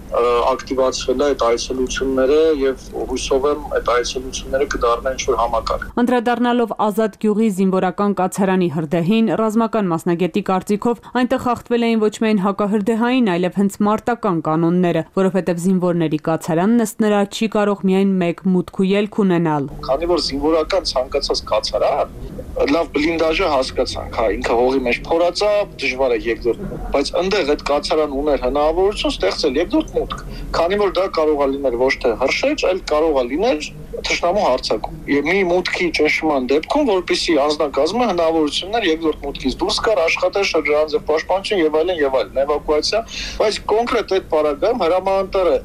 ակտիվացվել է այդ այցելությունները եւ հույսով եմ այդ այցելությունները կդառնան ինչ-որ համակարգ։ Անդրադառնալով Ազատ գյուղի զինվորական կացարանի հրդեհին, ռազմական մասնագետի կարծիքով այնտեղ խախտվել էին ոչ միայն հակահրդեհային, այլև հենց մարտական կանոնները, որովհետեւ զինվորների կացարանն ըստ նրա չի կարող միայն մեկ մուտք ու ելք ունենալ։ Քանի որ զինվորական ցանկացած կացարան լավ բլինդաժը հասկացանք, հա, ինքը հողի մեջ փորած է, դժվար է երկրորդ, բայց այնտեղ այդ կացարան ուներ հնարավորություն ստեղծել երկրորդ մուտք, քանի որ դա կարող է լինել ոչ թե հրշեջ, այլ կարող է լինել թշնամու հարձակում։ Եվ մի մուտքի ճնշման դեպքում, որպեսզի անձնակազմը հնարավորություններ երկրորդ մուտքից դուրս գար, աշխատել շրջանաձև պաշտպանություն եւ այլն եւ այլն, էվակուացիա, բայց կոնկրետ այդ պարագայում հրամանատարը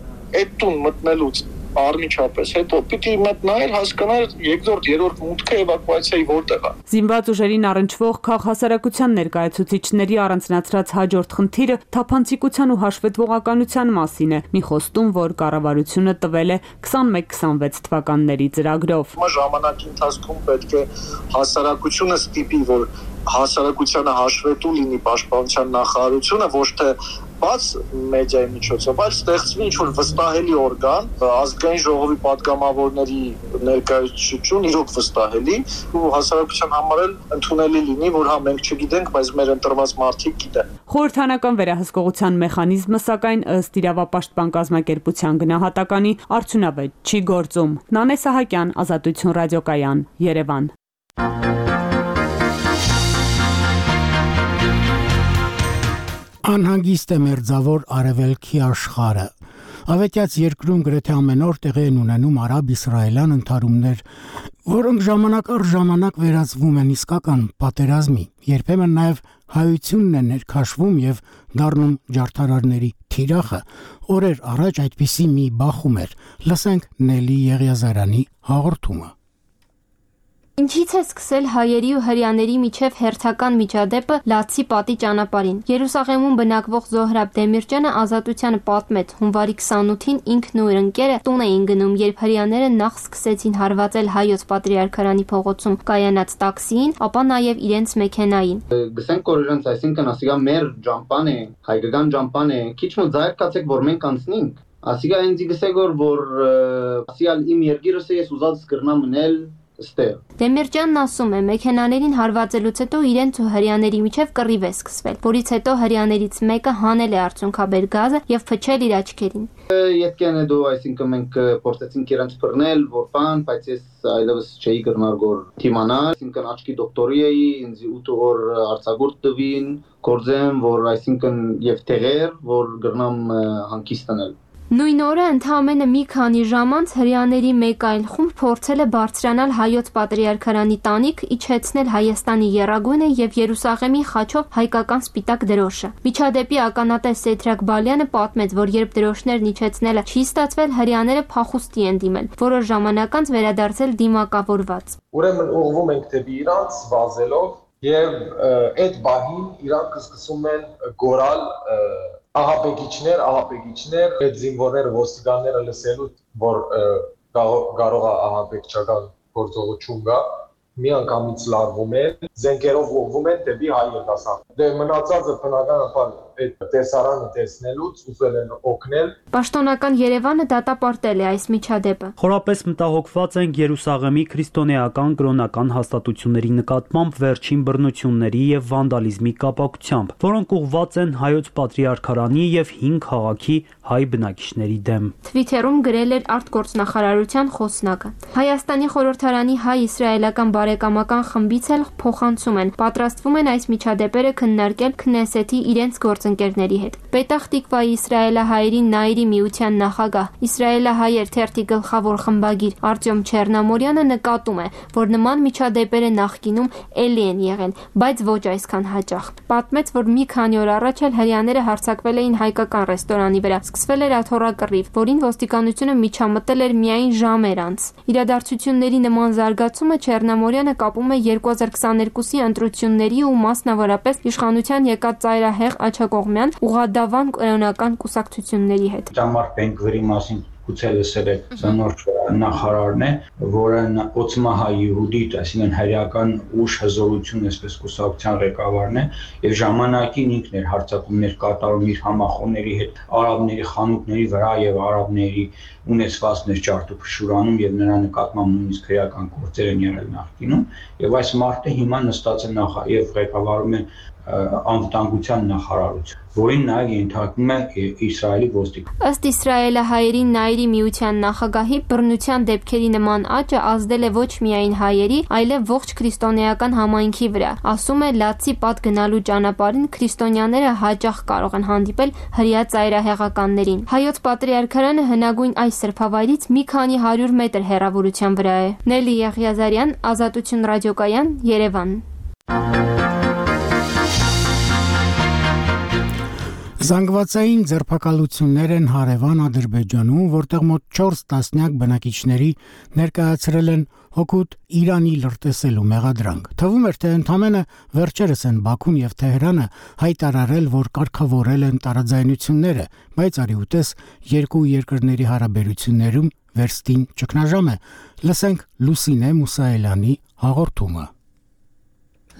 այդ տուն մտնելուց Արմիչապես հետո պիտի մտնայր հասկանալ երկրորդ երրորդ մուտքը էվակուացիայի որտեղ է։ Զինված ուժերին առնչվող քաղհասարակության ներկայացուցիչների առանձնացրած հաջորդ խնդիրը թափանցիկության ու հաշվետվողականության մասին է։ Մի խոստում, որ կառավարությունը տվել է քսանմեկ քսանվեց թվականների ծրագրով։ Ժամանակի ընթացքում պետք է հասարակությունը ստիպի, որ հասարակությանը հաշվետու լինի պաշտպանության նախարարությունը, ոչ թե բաց մեդիայի միջոցով, այլ ստեղծվի ինչ-որ վստահելի օրգան, ազգային ժողովի պատգամավորների ներկայացություն իրոք վստահելի ու հասարակության համար էլ ընդունելի լինի, որ հա մենք չգիտենք, բայց մեր ընտրված մարդիկ գիտեն։ Խորհրդանական վերահսկողության մեխանիզմը, սակայն ըստ իրավապաշտպան կազմակերպության գնահատականի արդյունավետ չի գործում։ Նանե Սահակյան, Ազատություն ռադիոկայան, Երևան։ Անհանգիստ է մերձավոր արևելքի աշխարհը։ Ավետյաց երկրում գրեթե ամեն օր տեղի են ունենում արաբ-իսրայելյան ընդհարումներ, որոնք ժամանակ առ ժամանակ վերածվում են իսկական պատերազմի, երբեմն նաև հայությունն է ներքաշվում եւ դառնում ջարդարարների թիրախը։ Օրեր առաջ այդպիսի մի բախում էր։ Լսենք Նելի Եղիազարյանի հաղորդումը։ Ինչից է սկսել հայերի ու հրեաների միջև հերթական միջադեպը Լացի պատի ճանապարհին։ Երուսաղեմում բնակվող Զոհրաբ Դեմիրճյանը Ազատությանը պատմեց, հունվարի քսանութին ինքն ու իր ընկերը տուն էին գնում, երբ հրեաները նախ սկսեցին հարվածել հայոց պատրիարքարանի փողոցում կայանած տաքսիին, ապա նաև իրենց մեքենային։ Գսենք որ իրենց, այսինքն ասիգա մեր ջամպան է, հայկական ջամպան է, քիչ մոտ զայր կացեք որ մենք անցնենք։ Ասիգա ինձ գսեք որ ասիալ իմ երգիրս ես ուզած կրնամ մնել Դեմիրճյանն ասում է, մեքենաներին հարվածելուց հետո իրենց ու հրեաների միջև կռիվ է սկսվել, որից հետո հրեաներից մեկը հանել է արցունքաբեր գազը եւ փչել իր աչքերին։ Ետքեն է դու, այսինքն մենք փորձեցինք իրենց բռնել, որ բան, բայց ես այլևս չէի կրնար գոր թիմանալ, այսինքն աչքի դոկտորի էի, ինձ ութ օր արձակուրդ տվին, գործեմ, որ այսինքն եւ տեղեր, որ գրնամ հանգիստանել։ Նույն օրը ընդամենը մի քանի ժամ անց հրեաների մեկ այլ խումբ փորձել է բարձրանալ հայոց պատրիարքարանի տանիք, իջեցնել Հայաստանի եռագույնը եւ Երուսաղեմի խաչով հայկական սպիտակ դրոշը։ Միջադեպի ականատես Սեդրակ Բալյանը պատմեց, որ երբ դրոշներն իջեցնելը չի ստացվել, հրեաները փախուստի են դիմել, որոշ ժամանակ անց վերադարձել դիմակավորված։ Ուրեմն ուղղվում ենք դեպի Իրանց վազելով եւ այդ բահին իրանք սկսում են գորալ ահաբեկիչներ, ահաբեկիչներ, այդ զինվորները, ոստիկանները լսելու, որ կարող է ահաբեկչական գործողություն գա, մի անգամից լարվում են, զենքերով ուղղվում են դեպի հայ երիտասարդ։ Դե մնացածը բնականաբար այդ տեսարանը տեսնելուց ուզել են օգնել։ Պաշտոնական Երևանը դատապարտել է այս միջադեպը։ Խորապես մտահոգված ենք Երուսաղեմի քրիստոնեական կրոնական հաստատությունների նկատմամբ վերջին բռնությունների եւ վանդալիզմի կապակցությամբ, որոնք ուղղված են հայոց պատրիարքարանի եւ հինգ քաղաքի հայ բնակիչների դեմ։ Թվիթերում գրել էր արտգործնախարարության խոսնակը։ Հայաստանի խորհրդարանի հայ-իսրայելական բարեկամական խմբից էլ փոխանցում են, պատրաստվում են այս միջադեպերը քննարկել Քնեսեթի իրենց գործընկերների հետ։ Պետախ Տիկվայի իսրայելահայերի Նայիրի միության նախագահ, իսրայելահայեր թերթի գլխավոր խմբագիր Արտյոմ Չեռնամորյանը նկատում է, որ նման միջադեպերը նախկինում էլի են եղել, բայց ոչ այսքան հաճախ։ Պատմեց, որ մի քանի օր առաջ էլ հրեաները հարձակվել էին հայկական ռեստորանի վրա, սկսվել էր աթոռակռիվ, որին ոստիկանությունը միջամտել էր միայն ժամեր անց։ Իրադարձությունների նման զարգացումը Չեռնամորյանը կապում է երկու հազար քսաներկուսի ընտրությունների ու մասնավորապես իշխանության եկած ծայրահեղ աջակողմյան ուղղադավան կրոնական կուսակցությունների հետ։ Ճամար Բենգվերի մասին գուցե լսել եք, սա նոր նախարարն է, որը Օցմա հայ Յուհուդիտ, այսինքն հայրական ուժ հզորություն, այսպես կուսակցության ղեկավարն է, եւ ժամանակին ինքն էր հարձակումներ կատարում իր համախոհների հետ արաբների խանութների վրա եւ արաբների ունեցվածքներ ջարդուփշուրանում եւ նրա նկատմամբ նույնիսկ քրեական գործեր են եղել նախկինում, եւ այս մարդը հիմա նստած է նախ եւ ղեկավարում է անվտանգության նախարարություն, որին նաև ենթարկվում է Իսրայելի ոստիկանություն։ Ըստ իսրայելահայերի Նայիրի միության նախագահի, բռնության դեպքերի նման աճը ազդել է ոչ միայն հայերի, այլև ողջ քրիստոնեական համայնքի վրա։ Ասում է, Լացի պատ գնալու ճանապարհին քրիստոնյաները հաճախ կարող են հանդիպել հրեա ծայրահեղականներին։ Հայոց պատրիարքարանը հնագույն այս սրբավայրից մի քանի հարյուր մետր հեռավորության վրա է։ Նելի Եղիազարյան, Ազատություն ռադիոկայան, Երևան։ Զանգվածային ձերբակալություններ են հարևան Ադրբեջանում, որտեղ մոտ չորս տասնյակ բնակիչների ներկայացրել են հօգուտ Իրանի լրտեսելու մեղադրանք։ Թվում էր, թե ընդամենը վերջերս են Բաքուն եւ Թեհրանը հայտարարել, որ կարգավորել են տարաձայնությունները, բայց արի ուտես երկու երկրների հարաբերություններում վերստին ճգնաժամ է։ Լսենք Լուսինե Մուսայելյանի հաղորդումը։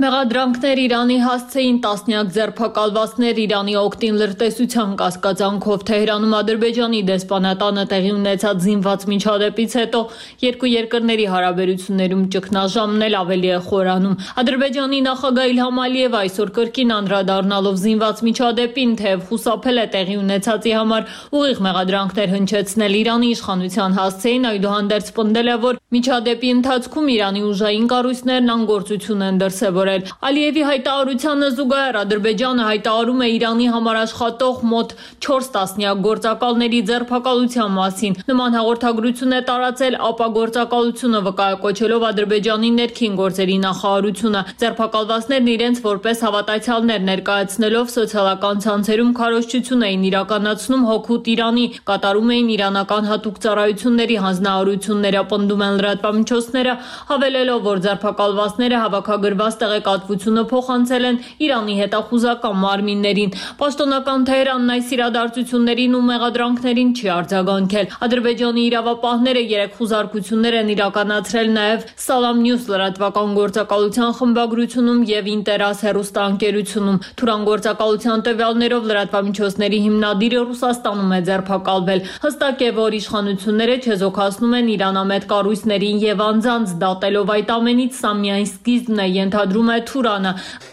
Մեղադրանքներ Իրանի հասցեին տասնյակ ձերբակալվածներ Իրանի օգտին լրտեսության կասկածանքով Թեհրանում Ադրբեջանի դեսպանատանը տեղի ունեցած զինված միջադեպից հետո երկու երկրների հարաբերություններում ճգնաժամն էլ ավելի է խորանում։ Ադրբեջանի նախագահ Իլհամ Ալիևը այսօր կրկին անդրադառնալով զինված միջադեպին, թեև խուսափել է տեղի ունեցածի համար ուղիղ մեղադրանքներ հնչեցնել Իրանի իշխանության հասցեին, այդուհանդերձ պնդել է, որ միջադեպի ընթացքում Իրանի ուժային կառույցներն անգործություն են դրսևորել։ Ալիևի հայտարարությանը զուգահեռ Ադրբեջանը հայտարարում է Իրանի համար աշխատող մոտ չորս տասնյակ գործակալների ձերբակալության մասին։ Նման հաղորդագրություն է տարածել ԱՊԱ գործակալությունը, վկայակոչելով Ադրբեջանի ներքին գործերի նախարարությունը։ Ձերբակալվածներն իրենց որպես հավատացյալներ ներկայացնելով սոցիալական ցանցերում քարոզչություն էին իրականացնում հօգուտ Իրանի, կատարում էին իրանական հատուկ ծառայությունների հանձնարարությունները, պնդում են լրատվամիջոցները, հավելելով, որ ձերբակալվածները հավաքագրված տեղեկատվությունը փոխանցել են Իրանի հետախուզական մարմիններին։ Պաշտոնական Թեհրանն այս իրադարձություններին ու մեղադրանքներին չի արձագանքել։ Ադրբեջանի իրավապահները երեք խուզարկություններ են իրականացրել նաև Salam News լրատվական գործակալության խմբագրությունում եւ Ինտերաս հեռուստաընկերությունում։ Թուրան գործակալության տվյալներով լրատվամիջոցների հիմնադիրը Ռուսաստանում է ձերբակալվել։ Հստակ է, որ իշխանությունները չեզոքացնում են իրանամետ կառույցներին եւ անձանց, դատելով այդ ամենից սա միայն սկիզբն է, ենթադրում է Թուրանը։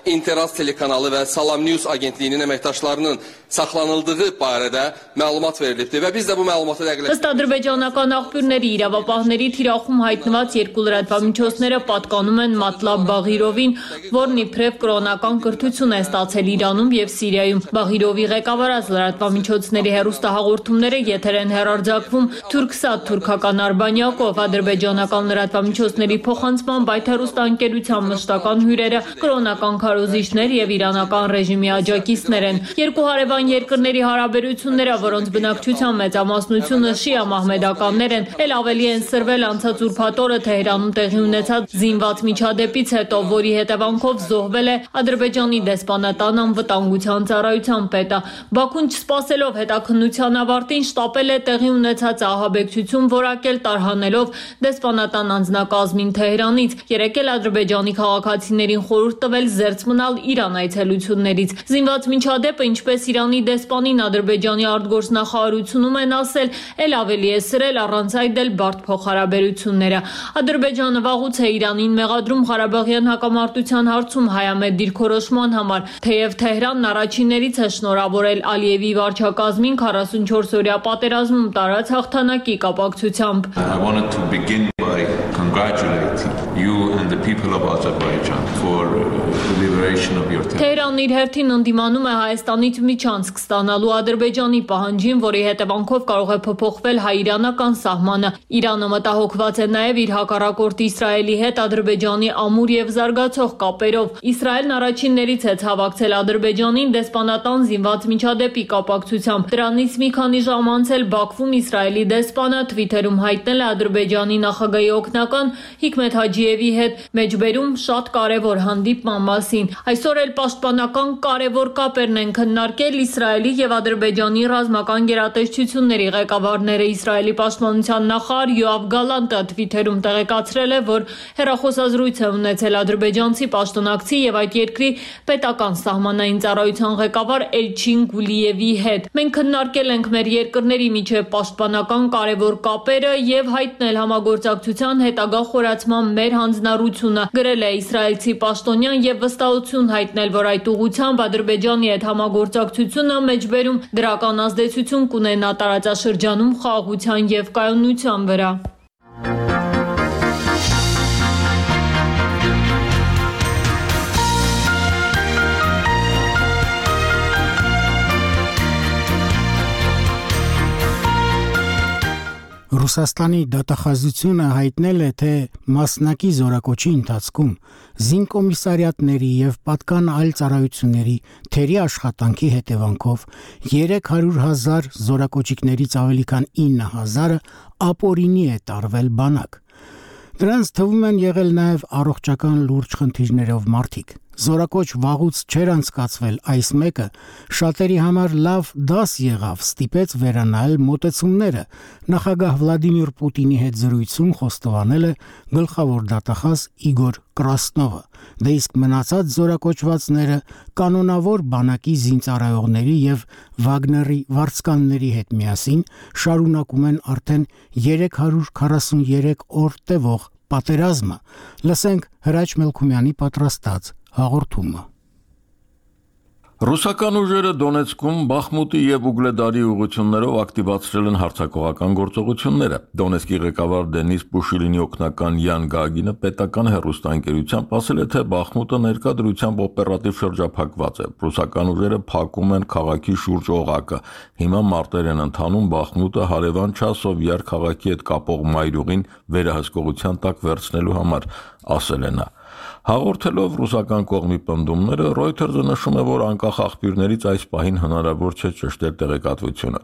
İnteras telekanalı və Salam News agentliyinin əməkdaşlarının saxlanıldığı barədə məlumat verilibdir və biz də bu məlumatı dəqiqləşdirdik։ Ըստ ադրբեջանական աղբյուրների, իրավապահների թիրախում հայտնված երկու լրատվամիջոցները պատկանում են Մատլաբ Բաղիրովին, որն իբրև կրոնական կրթություն է ստացել Իրանում եւ Սիրիայում։ Բաղիրովի ղեկավարած լրատվամիջոցների հեռուստահաղորդումները եթեր են հեռարձակվում Թուրքսատ թուրքական արբանյակով։ Ադրբեջանական լրատվամիջոցների փոխանցմամբ այդ հեռուստաընկերության մշտական հյուրերը կրոնական քարոզիչներ եւ իրանական ռեժիմի աջակիցներ են։ Երկու հարևան երկրների հարաբերությունները, որոնց բնակչության մեծամասնությունը շիա մահմեդականներ են, էլ ավելի են սրվել անցած ուրբաթ օրը Թեհրանում տեղի ունեցած զինված միջադեպից հետո, որի հետևանքով զոհվել է Ադրբեջանի դեսպանատան անվտանգության ծառայության պետը։ Բաքուն չսպասելով հետաքննության ավարտին շտապել է տեղի ունեցած ահաբեկչություն որակել տարհանելով դեսպանատան անձնակազմին Թեհրանից։ Երեկ էլ Ադրբեջանի քաղաքացիներին խորհուրդ տվել զերծ մնալ Իրան այցելություններից։ Զինված միջադեպը, ինչպես Իրանի դեսպանին Ադրբեջանի արտգործնախարարությունում են ասել, էլ ավելի է սրել առանց այդ էլ բարդ փոխհարաբերությունները։ Ադրբեջանը վաղուց է Իրանին մեղադրում Ղարաբաղյան հակամարտության հարցում հայամետ դիրքորոշման համար, թեև Թեհրանն առաջիններից է շնորհավորել Ալիևի վարչակազմին քառասունչորս-օրյա պատերազմում տարած հաղթանակի կապակցությամբ։ I wanted to begin by congratulating you and the people of Azerbaijan for the liberation of your territory. Թեհրանն իր հերթին ընդդիմանում է Հայաստանից միջանցք ստանալու Ադրբեջանի պահանջին, որի հետևանքով կարող է փոփոխվել հայ-իրանական սահմանը։ Իրանը մտահոգված է նաև իր հակառակորդ Իսրայելի հետ Ադրբեջանի ամուր եւ զարգացող կապերով։ Իսրայելն առաջիններից է ցավակցել Ադրբեջանին դեսպանատան զինված միջադեպի կապակցությամբ։ Դրանից մի քանի ժամ անց էլ Բաքվում Իսրայելի դեսպանը Twitter-ում հայտնել է Ադրբեջանի նախագահի օգնական Հիկմետ Հաջիևի հետ մեջբերում շատ կարևոր հանդիպման մասին։ Այսօր էլ պաշտպանական կարևոր կապերն են քննարկել Իսրայելի եւ Ադրբեջանի ռազմական գերատեսչությունների ղեկավարները։ Իսրայելի պաշտպանության նախարար Յոավ Գալանտը Twitter-ում տեղեկացրել է, որ հեռախոսազրույց է ունեցել ադրբեջանցի պաշտոնակցի եւ այդ երկրի պետական սահմանային ծառայության ղեկավար Էլչին Գուլիևի հետ։ Մենք քննարկել ենք մեր երկրների միջև պաշտպանական կարևոր կապերը եւ հայտնել համագործակցության հետագա խորացման մեր հանձնառությունը, գրել է իսրայելցի պաշտոնյան եւ վստահություն հայտնել, որ այդ ուղղությամբ Ադրբեջանի հետ համագործակցությունը մեջբերում դրական ազդեցություն կունենա տարածաշրջանում խաղաղության եւ կայունության վրա։ Ռուսաստանի դատախազությունը հայտնել է, թե մասնակի զորակոչի ընթացքում զինկոմիսարիատների եւ պատկան այլ ծառայությունների թերի աշխատանքի հետևանքով երեք հարյուր հազար զորակոչիկներից ավելի քան ինը հազարը ապօրինի է տարվել բանակ։ Դրանց թվում են եղել նաև առողջական լուրջ խնդիրներով մարդիկ։ զորակոչ վաղուց չէր անցկացվել այս մեկը, շատերի համար լավ դաս եղավ, ստիպեց վերանայել մոտեցումները։ Նախագահ Վլադիմիր Պուտինի հետ զրույցում խոստովանել է գլխավոր դատախազ Իգոր Կրասնովը։ Դե իսկ մնացած զորակոչվածները կանոնավոր բանակի զինծառայողների եւ Վագների վարձկանների հետ միասին շարունակում են արդեն երեք հարյուր քառասուներեք օր տևող պատերազմը։ Լսենք Հրաչ Մելքումյանի պատրաստած հաղորդումը։ Ռուսական ուժերը Դոնեցկում, Բախմուտի եւ Ուգլեդարի ուղղություններով ակտիվացրել են հարձակողական գործողությունները։ Դոնեցկի ղեկավար Դենիս Պուշիլինի օգնական Յան Գագինը պետական հեռուստաընկերությամբ ասել է, թե Բախմուտը ներկա դրությամբ օպերատիվ շրջափակված է։ Ռուսական ուժերը փակում են քաղաքի շուրջ օղակը։ Հիմա մարտեր են ընթանում Բախմուտը հարևան Չասովյար քաղաքի հետ կապող մայրուղին վերահսկողության տակ վերցնելու համար, ասել է նա։ Հաղորդելով ռուսական կողմի պնդումները, Reuters-ը նշում է, որ անկախ աղբյուրներից այս պահին հնարավոր չէ ճշտել տեղեկատվությունը։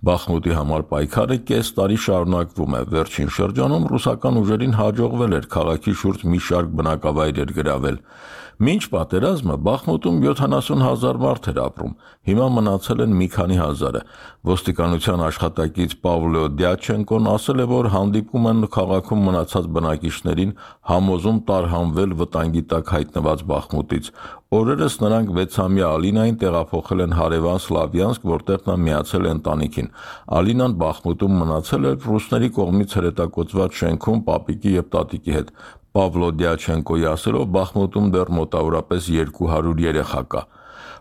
Բախմուտի համար պայքարը կես տարի շարունակվում է։ Վերջին շրջանում ռուսական ուժերին հաջողվել էր քաղաքի շուրջ մի շարք բնակավայրեր գրավել։ Մինչ պատերազմը Բախմուտում յոթանասուն հազար մարդ էր ապրում, հիմա մնացել են մի քանի հազարը։ Ոստիկանության աշխատակից Պավլո Դյաչենկոն ասել է, որ հանդիպում են քաղաքում մնացած բնակիչներին, համոզում տարհանվել վտանգի տակ հայտնված Բախմուտից։ Օրերս նրանք վեցամյա Ալինային տեղափոխել են հարևան Սլավյանսկ, որտեղ նա միացել է ընտանիքին։ Ալինան Բախմուտում մնացել էր ռուսների կողմից հրետակոծված շենքում պապիկի եւ տատիկի հետ։ Պավլո Դյաչենկոյի ասելով, Բախմուտում դեռ մոտավորապես երկու հարյուր երեխա կա։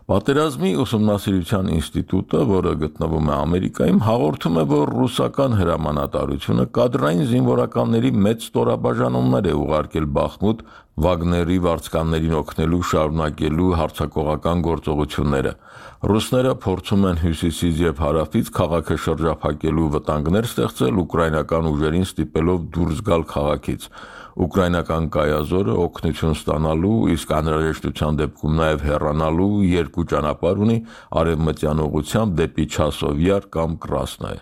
Պատերազմի ուսումնասիրության ինստիտուտը, որը գտնվում է Ամերիկայում, հաղորդում է, որ ռուսական հրամանատարությունը կադրային զինվորականների մեծ ստորաբաժանումներ է ուղարկել Բախմուտ Վագների վարձկաններին օգնելու շարունակելու հարձակողական գործողությունները։ Ռուսները փորձում են հյուսիսից եւ հարավից քաղաքը շրջափակելու վտանգներ ստեղծել ուկրաինական ուժերին ստիպելով դուրս գալ քաղաքից։ Ուկրաինական կայազորը օգնություն ստանալու, իսկ անհրաժեշտության դեպքում նաև հեռանալու երկու ճանապարհ ունի արևմտյան ուղղությամբ դեպի Չասովյար կամ Կրասնոյ։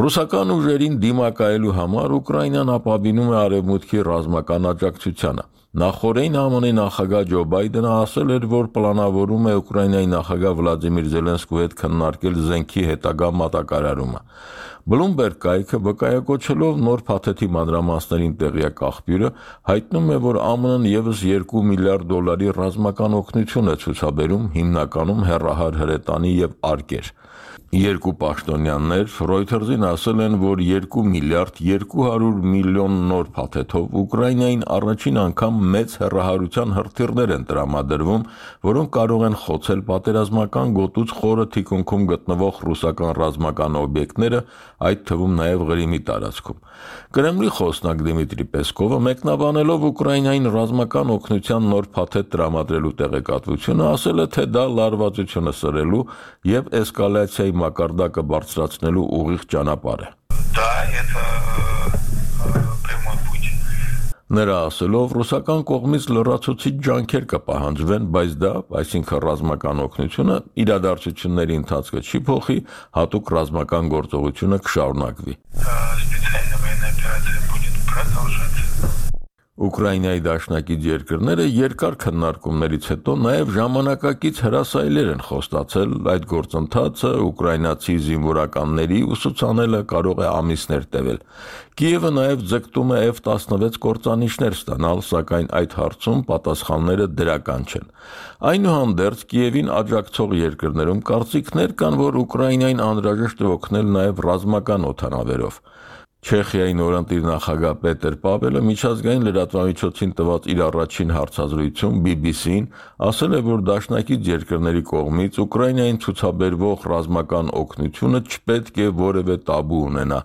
Ռուսական ուժերին դիմակայելու համար Ուկրաինան ապավինում է արևմուտքի ռազմական աջակցությանը։ Նախորդին ԱՄՆ նախագահ Ջո Բայդենը ասել էր, որ պլանավորում է Ուկրաինայի նախագահ Վլադիմիր Զելենսկուի հետ քննարկել զենքի հետագա մատակարարումը։ Bloomberg կայքը վկայակոչելով նոր փաթեթի մանրամասներին տեղյակ աղբյուրը հայտնում է, որ ԱՄՆ-ն եւս երկու միլիարդ դոլարի ռազմական օգնություն է ցուցաբերում, հիմնականում հեռահար հրետանի եւ արկեր։ Երկու պաշտոնյաներ Reuters-ին ասել են, որ երկու միլիարդ երկու հարյուր միլիոն նոր փաթեթով Ուկրաինային առաջին անգամ մեծ հեռահարության հրթիռներ են տրամադրվում, որոնք կարող են խոցել պատերազմական գոտուց խորը թիկունքում գտնվող ռուսական ռազմական օբյեկտները, այդ թվում նաև Ղրիմի տարածքում։ Կրեմլի խոսնակ Դիմիտրի Պեսկովը մեկնաբանելով Ուկրաինային ռազմական օգնության նոր փաթեթ տրամադրելու տեղեկատվությունը ասել է, թե դա լարվածությունը սրելու եւ էսկալացիայի մակարդակը բարձրացնելու ուղիղ ճանապարհ է։ Նրա ասելով, ռուսական կողմից լրացուցիչ ջանքեր կպահանջվեն, բայց դա, այսինքն ռազմական օգնությունը, իրադարձությունների ընթացքը չի փոխի, հատուկ ռազմական գործողությունը կշարունակվի։ Ուկրաինայի դաշնակից երկրները երկար քննարկումներից հետո նաև ժամանակակից հրասայլեր են խոստացել, այդ գործընթացը ուկրաինացի զինվորականների ուսուցանելը կարող է ամիսներ տևել։ Կիևը նաև ձգտում է F տասնվեց կործանիչներ ստանալ, սակայն այդ հարցում պատասխանները դրական չեն։ Այնուհանդերձ Կիևին աջակցող երկրներում կարծիքներ կան, որ Ուկրաինային անհրաժեշտ է օգնել նաև ռազմական օդանավերով։ Չեխիայի նորընտիր նախագահ Պետեր Պավելը միջազգային լրատվամիջոցին տված իր առաջին հարցազրույցում B B C-ին ասել է, որ դաշնակից երկրների կողմից Ուկրաինային ցուցաբերվող ռազմական օգնությունը չպետք է որևէ տաբու ունենա,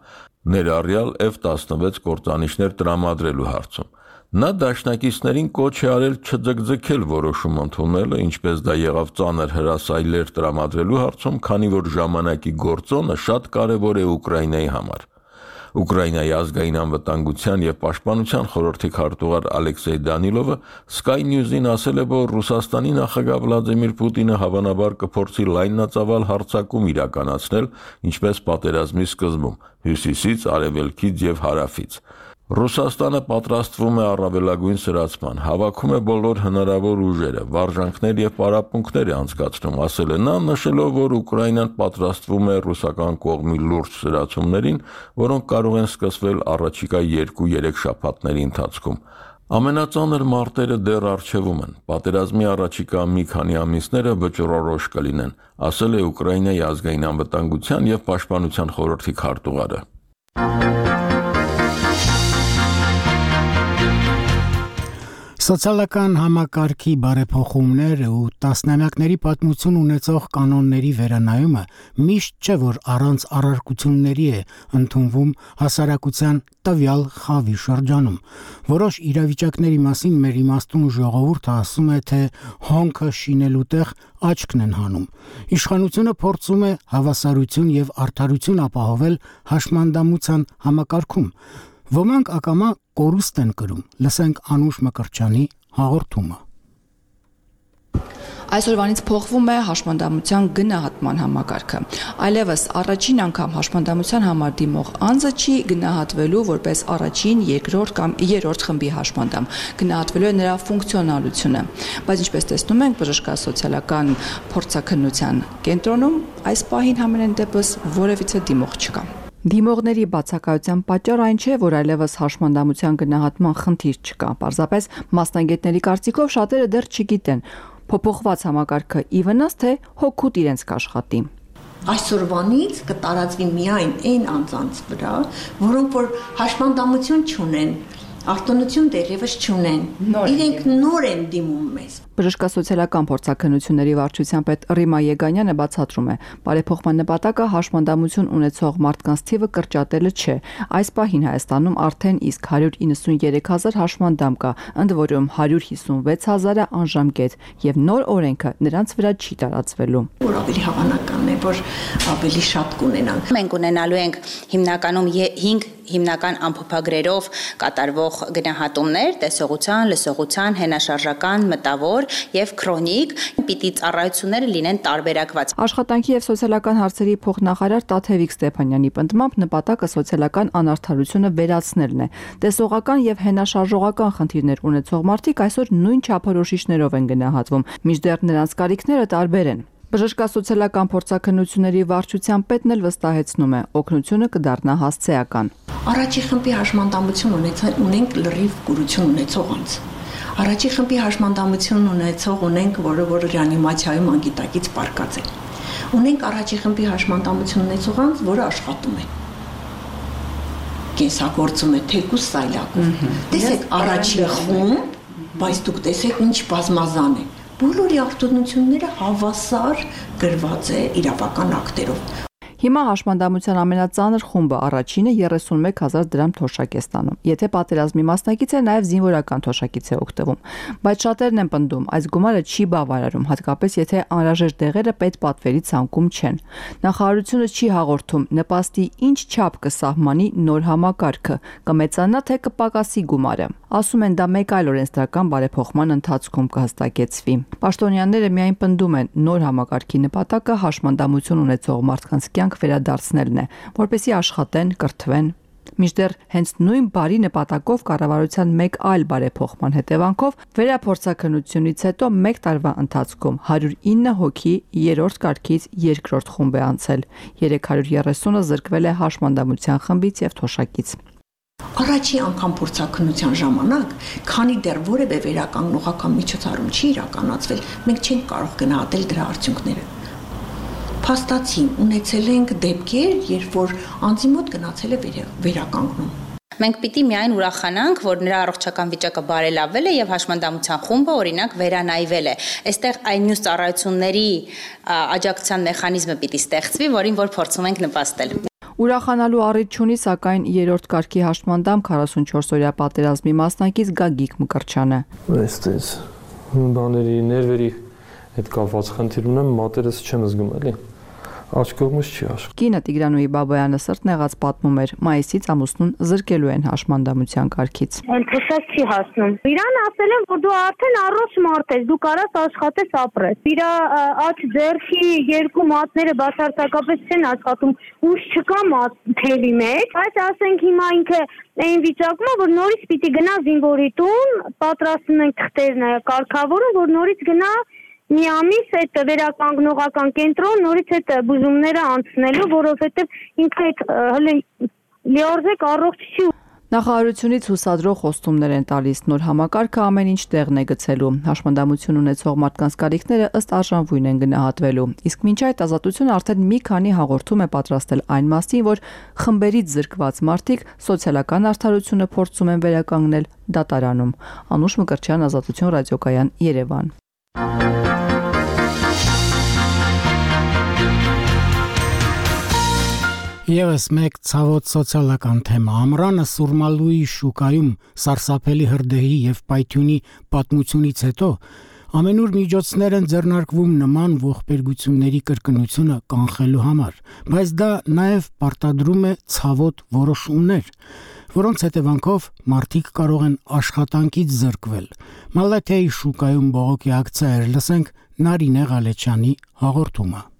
ներառյալ F տասնվեց կործանիչներ տրամադրելու հարցում։ Նա դաշնակիցներին կոչ է արել չձգձգել որոշում ընդունելը, ինչպես դա եղավ ծանր հրասայլեր տրամադրելու հարցում, քանի որ ժամանակի գործոնը շատ կարևոր է Ուկրաինայի համար։ Ուկրաինայի ազգային անվտանգության եւ պաշտպանության խորհրդի քարտուղար Ալեքսեյ Դանիլովը Sky News-ին ասել է, որ Ռուսաստանի նախագահ Վլադիմիր Պուտինը հավանաբար կփորձի լայնածավալ հարձակում իրականացնել, ինչպես պատերազմի սկզբում՝ հյուսիսից, արևելքից եւ հարավից։ Ռուսաստանը պատրաստվում է առավելագույն սրացման, հավաքում է բոլոր հնարավոր ուժերը, վարժանքներ եւ պարապմունքներ է անցկացնում, ասել է նա, նշելով, որ Ուկրաինան պատրաստվում է ռուսական կողմի լուրջ սրացումներին, որոնք կարող են սկսվել առաջիկա երկու-երեք շաբաթների ընթացքում։ Ամենածանր մարտերը դեռ առջևում են, պատերազմի առաջիկա մի քանի ամիսները վճռորոշ կլինեն, ասել է Ուկրաինայի ազգային անվտանգության եւ պաշտպանության խորհրդի քարտուղարը։ Սոցիալական համակարգի բարեփոխումները ու տասնամյակների պատմություն ունեցող կանոնների վերանայումը միշտ չէ, որ առանց առարկությունների է ընդունվում հասարակության տվյալ խավի շրջանում։ Որոշ իրավիճակների մասին մեր իմաստուն ժողովուրդը ասում է, թե հոնքը շինելու տեղ աչքն են հանում։ Իշխանությունը փորձում է հավասարություն եւ արդարություն ապահովել հաշմանդամության համակարգում։ Ոմանք ակամա կորուստ են կրում։ Լսենք Անուշ Մկրտչյանի հաղորդումը։ Այսօրվանից փոխվում է հաշմանդամության գնահատման համակարգը։ Այլևս առաջին անգամ հաշմանդամության համար դիմող անձը չի գնահատվելու որպես առաջին, երկրորդ կամ երրորդ խմբի հաշմանդամ։ Գնահատվելու է նրա ֆունկցիոնալությունը։ Բայց ինչպես տեսնում ենք, բժշկասոցիալական փորձաքննության կենտրոնում այս պահին համենայն դեպս որևիցե դիմող չկա։ Դիմողների բացակայության պատճառը այն չէ, որ այլևս հաշմանդամության գնահատման խնդիր չկա։ Պարզապես մասնագետների կարծիքով շատերը դեռ չգիտեն փոփոխված համակարգը ի վնաս թե հոգուտ իրենց կաշխատի։ Այսօրվանից կտարածվի միայն այն անձանց վրա, որոնք որ հաշմանդամություն չունեն, արտոնություն դեռևս չունեն, իրենք նոր են դիմում մեզ։ Բժշկասոցիալական փորձաքննությունների վարչության պետ Ռիմա Եգանյանը բացատրում է, բարեփոխման նպատակը հաշմանդամություն ունեցող մարդկանց թիվը կրճատելը չէ։ Այս պահին Հայաստանում արդեն իսկ հարյուր իննսունյերեք հազար հաշմանդամ կա, ընդ որում հարյուր հիսունվեց հազարը անժամկետ, եւ նոր օրենքը նրանց վրա չի տարածվելու։ Որ ավելի հավանական է, որ ավելի շատ կունենանք։ Մենք ունենալու ենք հիմնականում հինգ հիմնական ամփոփագրերով կատարվող գնահատումներ՝ տեսողության, լսողության, հենաշարժական, մտավոր եւ քրոնիկ, պիտի ծառայությունները լինեն տարբերակված։ Աշխատանքի եւ սոցիալական հարցերի փոխնախարար Տաթևիկ Ստեփանյանի պնդմամբ նպատակը սոցիալական անարդարությունը վերացնելն է։ Տեսողական եւ հենաշարժողական խնդիրներ ունեցող մարդիկ այսօր նույն չափորոշիչներով են գնահատվում, մինչդեռ նրանց կարիքները տարբեր են։ Բժշկասոցիալական փորձաքննությունների վարչության պետն էլ վստահեցնում է, օգնությունը կդառնա հասցեական։ Առաջի խմբի հաշմանդամություն ունենք լրիվ կուրություն ունեցող անձ։ Առաջի խմբի հաշմանդամություն ունեցող ունենք, որը որ ռեանիմացիայում անգիտակից պարկած է։ Ունենք առաջի խմբի հաշմանդամություն ունեցող անձ, որը աշխատում է։ Կենսագործում է թեկուզ սայլակով։ Տեսեք առաջի խումբ, բայց դուք տեսեք ինչ բազմազան է։ Բոլորի արտոնությունները հավասար գրված է իրավական ակտերով։ Հիմա հաշմանդամության ամենածանր խումբը առաջինը երեսունմեկ հազար դրամ թոշակ է ստանում։ Եթե պատերազմի մասնակից է, նաև զինվորական թոշակից է օգտվում։ Բայց շատերն են պնդում, այս գումարը չի բավարարում, հատկապես եթե անհրաժեշտ դեղերը պետպատվերի ցանկում չեն։ Նախարարությունը չի հաղորդում նպաստի ինչ չափ կսահմանի նոր համակարգը, կմեծանա թե կպակասի գումարը։ Ասում են դա մեկ այլ օրենսդրական բարեփոխման ընթացքում կհստակեցվի։ Պաշտոնյաները միայն պնդում են նոր համակարգի նպատակը հաշմանդամություն ունեցող մարդկանց կյանք վերադարձնելն է, որպեսզի աշխատեն, կրթվեն։ Մինչդեռ հենց նույն բարի նպատակով կառավարության մեկ այլ բարեփոխման հետևանքով վերափորձաքննությունից հետո մեկ տարվա ընթացքում հարյուր ինը հոգի երրորդ կարգից երկրորդ խումբ է անցել, երեք հարյուր երեսունը զրկվել է հաշմանդամության խմբից եւ թոշակից։ Առաջի անգամ փորձաքննության ժամանակ, քանի դեռ որևէ վերականգնողական միջոցառում չի իրականացվել, մենք չենք կարող գնահատել դրա արդյունքները։ Փաստացի ունեցել ենք դեպքեր, երբ որ անձի մոտ գնացել է վերականգնում։ Մենք պիտի միայն ուրախանանք, որ նրա առողջական վիճակը բարելավվել է եւ հաշմանդամության խումբը օրինակ վերանայվել է։ Այստեղ այն մյուս ծառայությունների աջակցության մեխանիզմը պիտի ստեղծվի, որին որ փորձում ենք նպաստել։ Ուրախանալու առիթ չունի, սակայն երրորդ կարգի հաշմանդամ քառասունչորս-օրյա պատերազմի մասնակից Գագիկ Մկրտչյանը։ Այստեղ բաների ներվերի հետ կապված խնդիր ունեմ, մատերս չեմ զգում էլի։ Աչքովմուս չի աշխ։ Կինը Տիգրանուհի Բաբայանը սրտն եղած պատմում էր, մայիսից ամուսնուն զրկելու են հաշմանդամության կարգից։ Այնպես չի հասնում։ Իրան ասել են, որ դու արդեն առողջ մարդ ես, դու կարաս աշխատես, ապրես։ Իր աջ ձեռքի երկու մատները բացարձակապես չեն աշխատում, ուժ չկա մատ թելի մեջ, բայց ասենք հիմա ինքը այն վիճակում է, որ նորից պիտի գնա զինվորի տուն, պատրաստում են թղթերն կարգավորում, որ նորից գնա մի ամիս այդ վերականգնողական կենտրոն նորից այդ բուժումները անցնելու, որովհետև ինքը այդ հələ լիարժեք առողջ չի։ Նախարարությունից հուսադրող խոստումներ են տալիս, նոր համակարգը ամեն ինչ տեղն է գցելու, հաշմանդամություն ունեցող մարդկանց կարիքները ըստ արժանվույն են գնահատվելու, իսկ մինչ այդ Ազատությունը արդեն մի քանի հաղորդում է պատրաստել այն մասին, որ խմբերից զրկված մարդիկ սոցիալական արդարությունը փորձում են վերականգնել դատարանում։ Անուշ Մկրտչյան, Ազատություն ռադիոկայան, Երևան։ Եվս մեկ ցավոտ սոցիալական թեմա ամռանը Սուրմալուի շուկայում սարսափելի հրդեհի եւ պայթյունի պատմությունից հետո ամենուր միջոցներ են ձեռնարկվում նման ողբերգությունների կրկնությունը կանխելու համար, բայց դա նաեւ պարտադրում է ցավոտ որոշումներ, որոնց հետևանքով մարդիկ կարող են աշխատանքից զրկվել։ Մալաթիայի շուկայում բողոքի ակցիա լսենք Նարինե Ղալեչյանի հաղորդումը։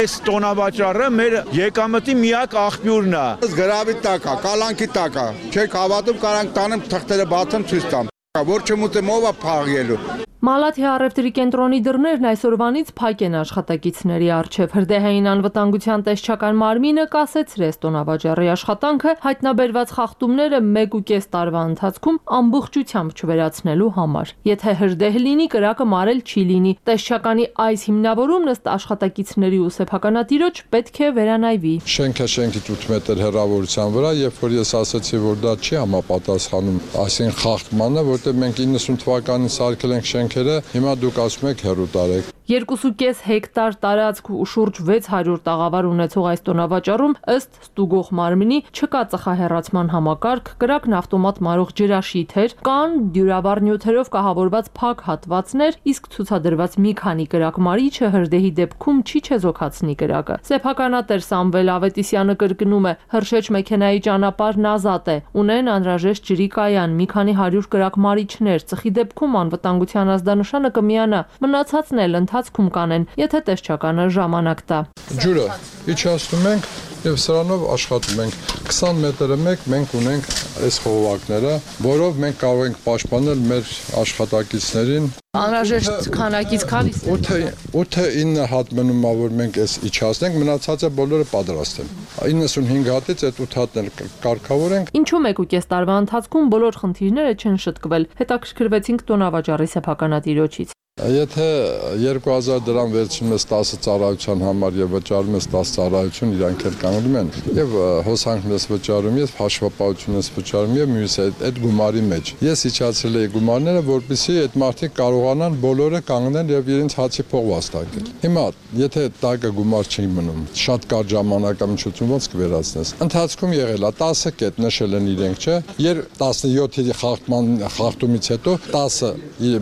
Այս տոնավաճառը մեր եկամտի միակ աղբյուրն է։ Գրավի տակ է, կալանքի տակ է։ Չեք հավատում, կարանք տանեմ թղթերը բացեմ ցույց տամ։ Որ չմուտեմ ով է փաղելու։ Մալաթիա առևտրի կենտրոնի դռներն այսօրվանից փակ են աշխատակիցների առջև։ Հրդեհային անվտանգության տեսչական մարմինը կասեցրեց տոնավաճառի աշխատանքը հայտնաբերված խախտումները մեկ ու կես տարվա ընթացքում ամբողջությամբ չվերացնելու համար։ Եթե հրդեհ լինի, կրակը մարել չի լինի։ Տեսչականի այս հիմնավորումն ըստ աշխատակիցների ու սեփականատիրոջ պետք է վերանայվի։ Շենքը շենքից ութ մետր հեռավորության վրա, երբ որ ես ասացի, որ դա չի համապատասխանում այսին խախտմանը, որտեղ մենք իննսուն թվականին սարքել ենք շենք Հիմա դուք ասում եք հեռու տարեք։ երկու կես հեկտար տարածք ու շուրջ վեց հարյուր տաղավար ունեցող այս տոնավաճառում ըստ ստուգող մարմնի չկա ծխահեռացման համակարգ, կրակն ավտոմատ մարող ջրաշիթեր, կան դյուրավառ նյութերով կահավորված փակ հատվածներ, իսկ ցուցադրված մի քանի կրակմարիչը հրդեհի դեպքում չի չեզոքացնի կրակը։ Սեփականատեր Սամվել Ավետիսյանը կրկնում է, հրշեջ մեքենայի ճանապարհն ազատ է, ունեն անհրաժեշտ ջրի կայան, մի քանի հարյուր կրակմարիչներ, ծխի դեպքում անվտանգության ազդանշանը կմիանա, մնացածն էլ ընթացքում կանեն, եթե տեսչականը ժամանակ տա։ Ջուրը իջացնում ենք եւ սրանով աշխատում ենք։ քսան մետրը մեկ մենք ունենք այս խողովակները, որով մենք կարող ենք պաշտպանել մեր աշխատակիցներին։ Անհրաժեշտ քանակից քանիս ութը ինը հատ մնում է, որ մենք այս իջացնենք, մնացածը բոլորը պատրաստ են։ իննսունհինգ հատից այդ ութ հատն էլ կարգավոր ենք։ Ինչու մեկ ու կես տարվա ընթացքում բոլոր խնդիրները չեն շտկվել։ Հետաքրքրվեցինք տոնավաճառի սեփականատիրոջից։ Եթե երկու հազար դրամ վերցնում ես տասը ծառայության համար եւ վճարում ես տասը ծառայություն, իրանք էլ կանգնում են եւ հոսանքն ես վճարում, ես հաշվապահություն ես վճարում եւ մյուս այդ գումարի մեջ։ Ես իջացրել եի գումարները, որպեսզի այդ մարդիկ կարողանան բոլորը կանգնել եւ իրենց հացի փող վաստակել։ Հիմա եթե տակը գումար չի մնում, շատ կարճ ժամանակամիջոցում ոնց կվերացնես։ Ընթացքում եղել է տասը կետ նշել են իրենք, չէ՞։ Երբ տասնյոթի խախտման խախտումից հետո տասը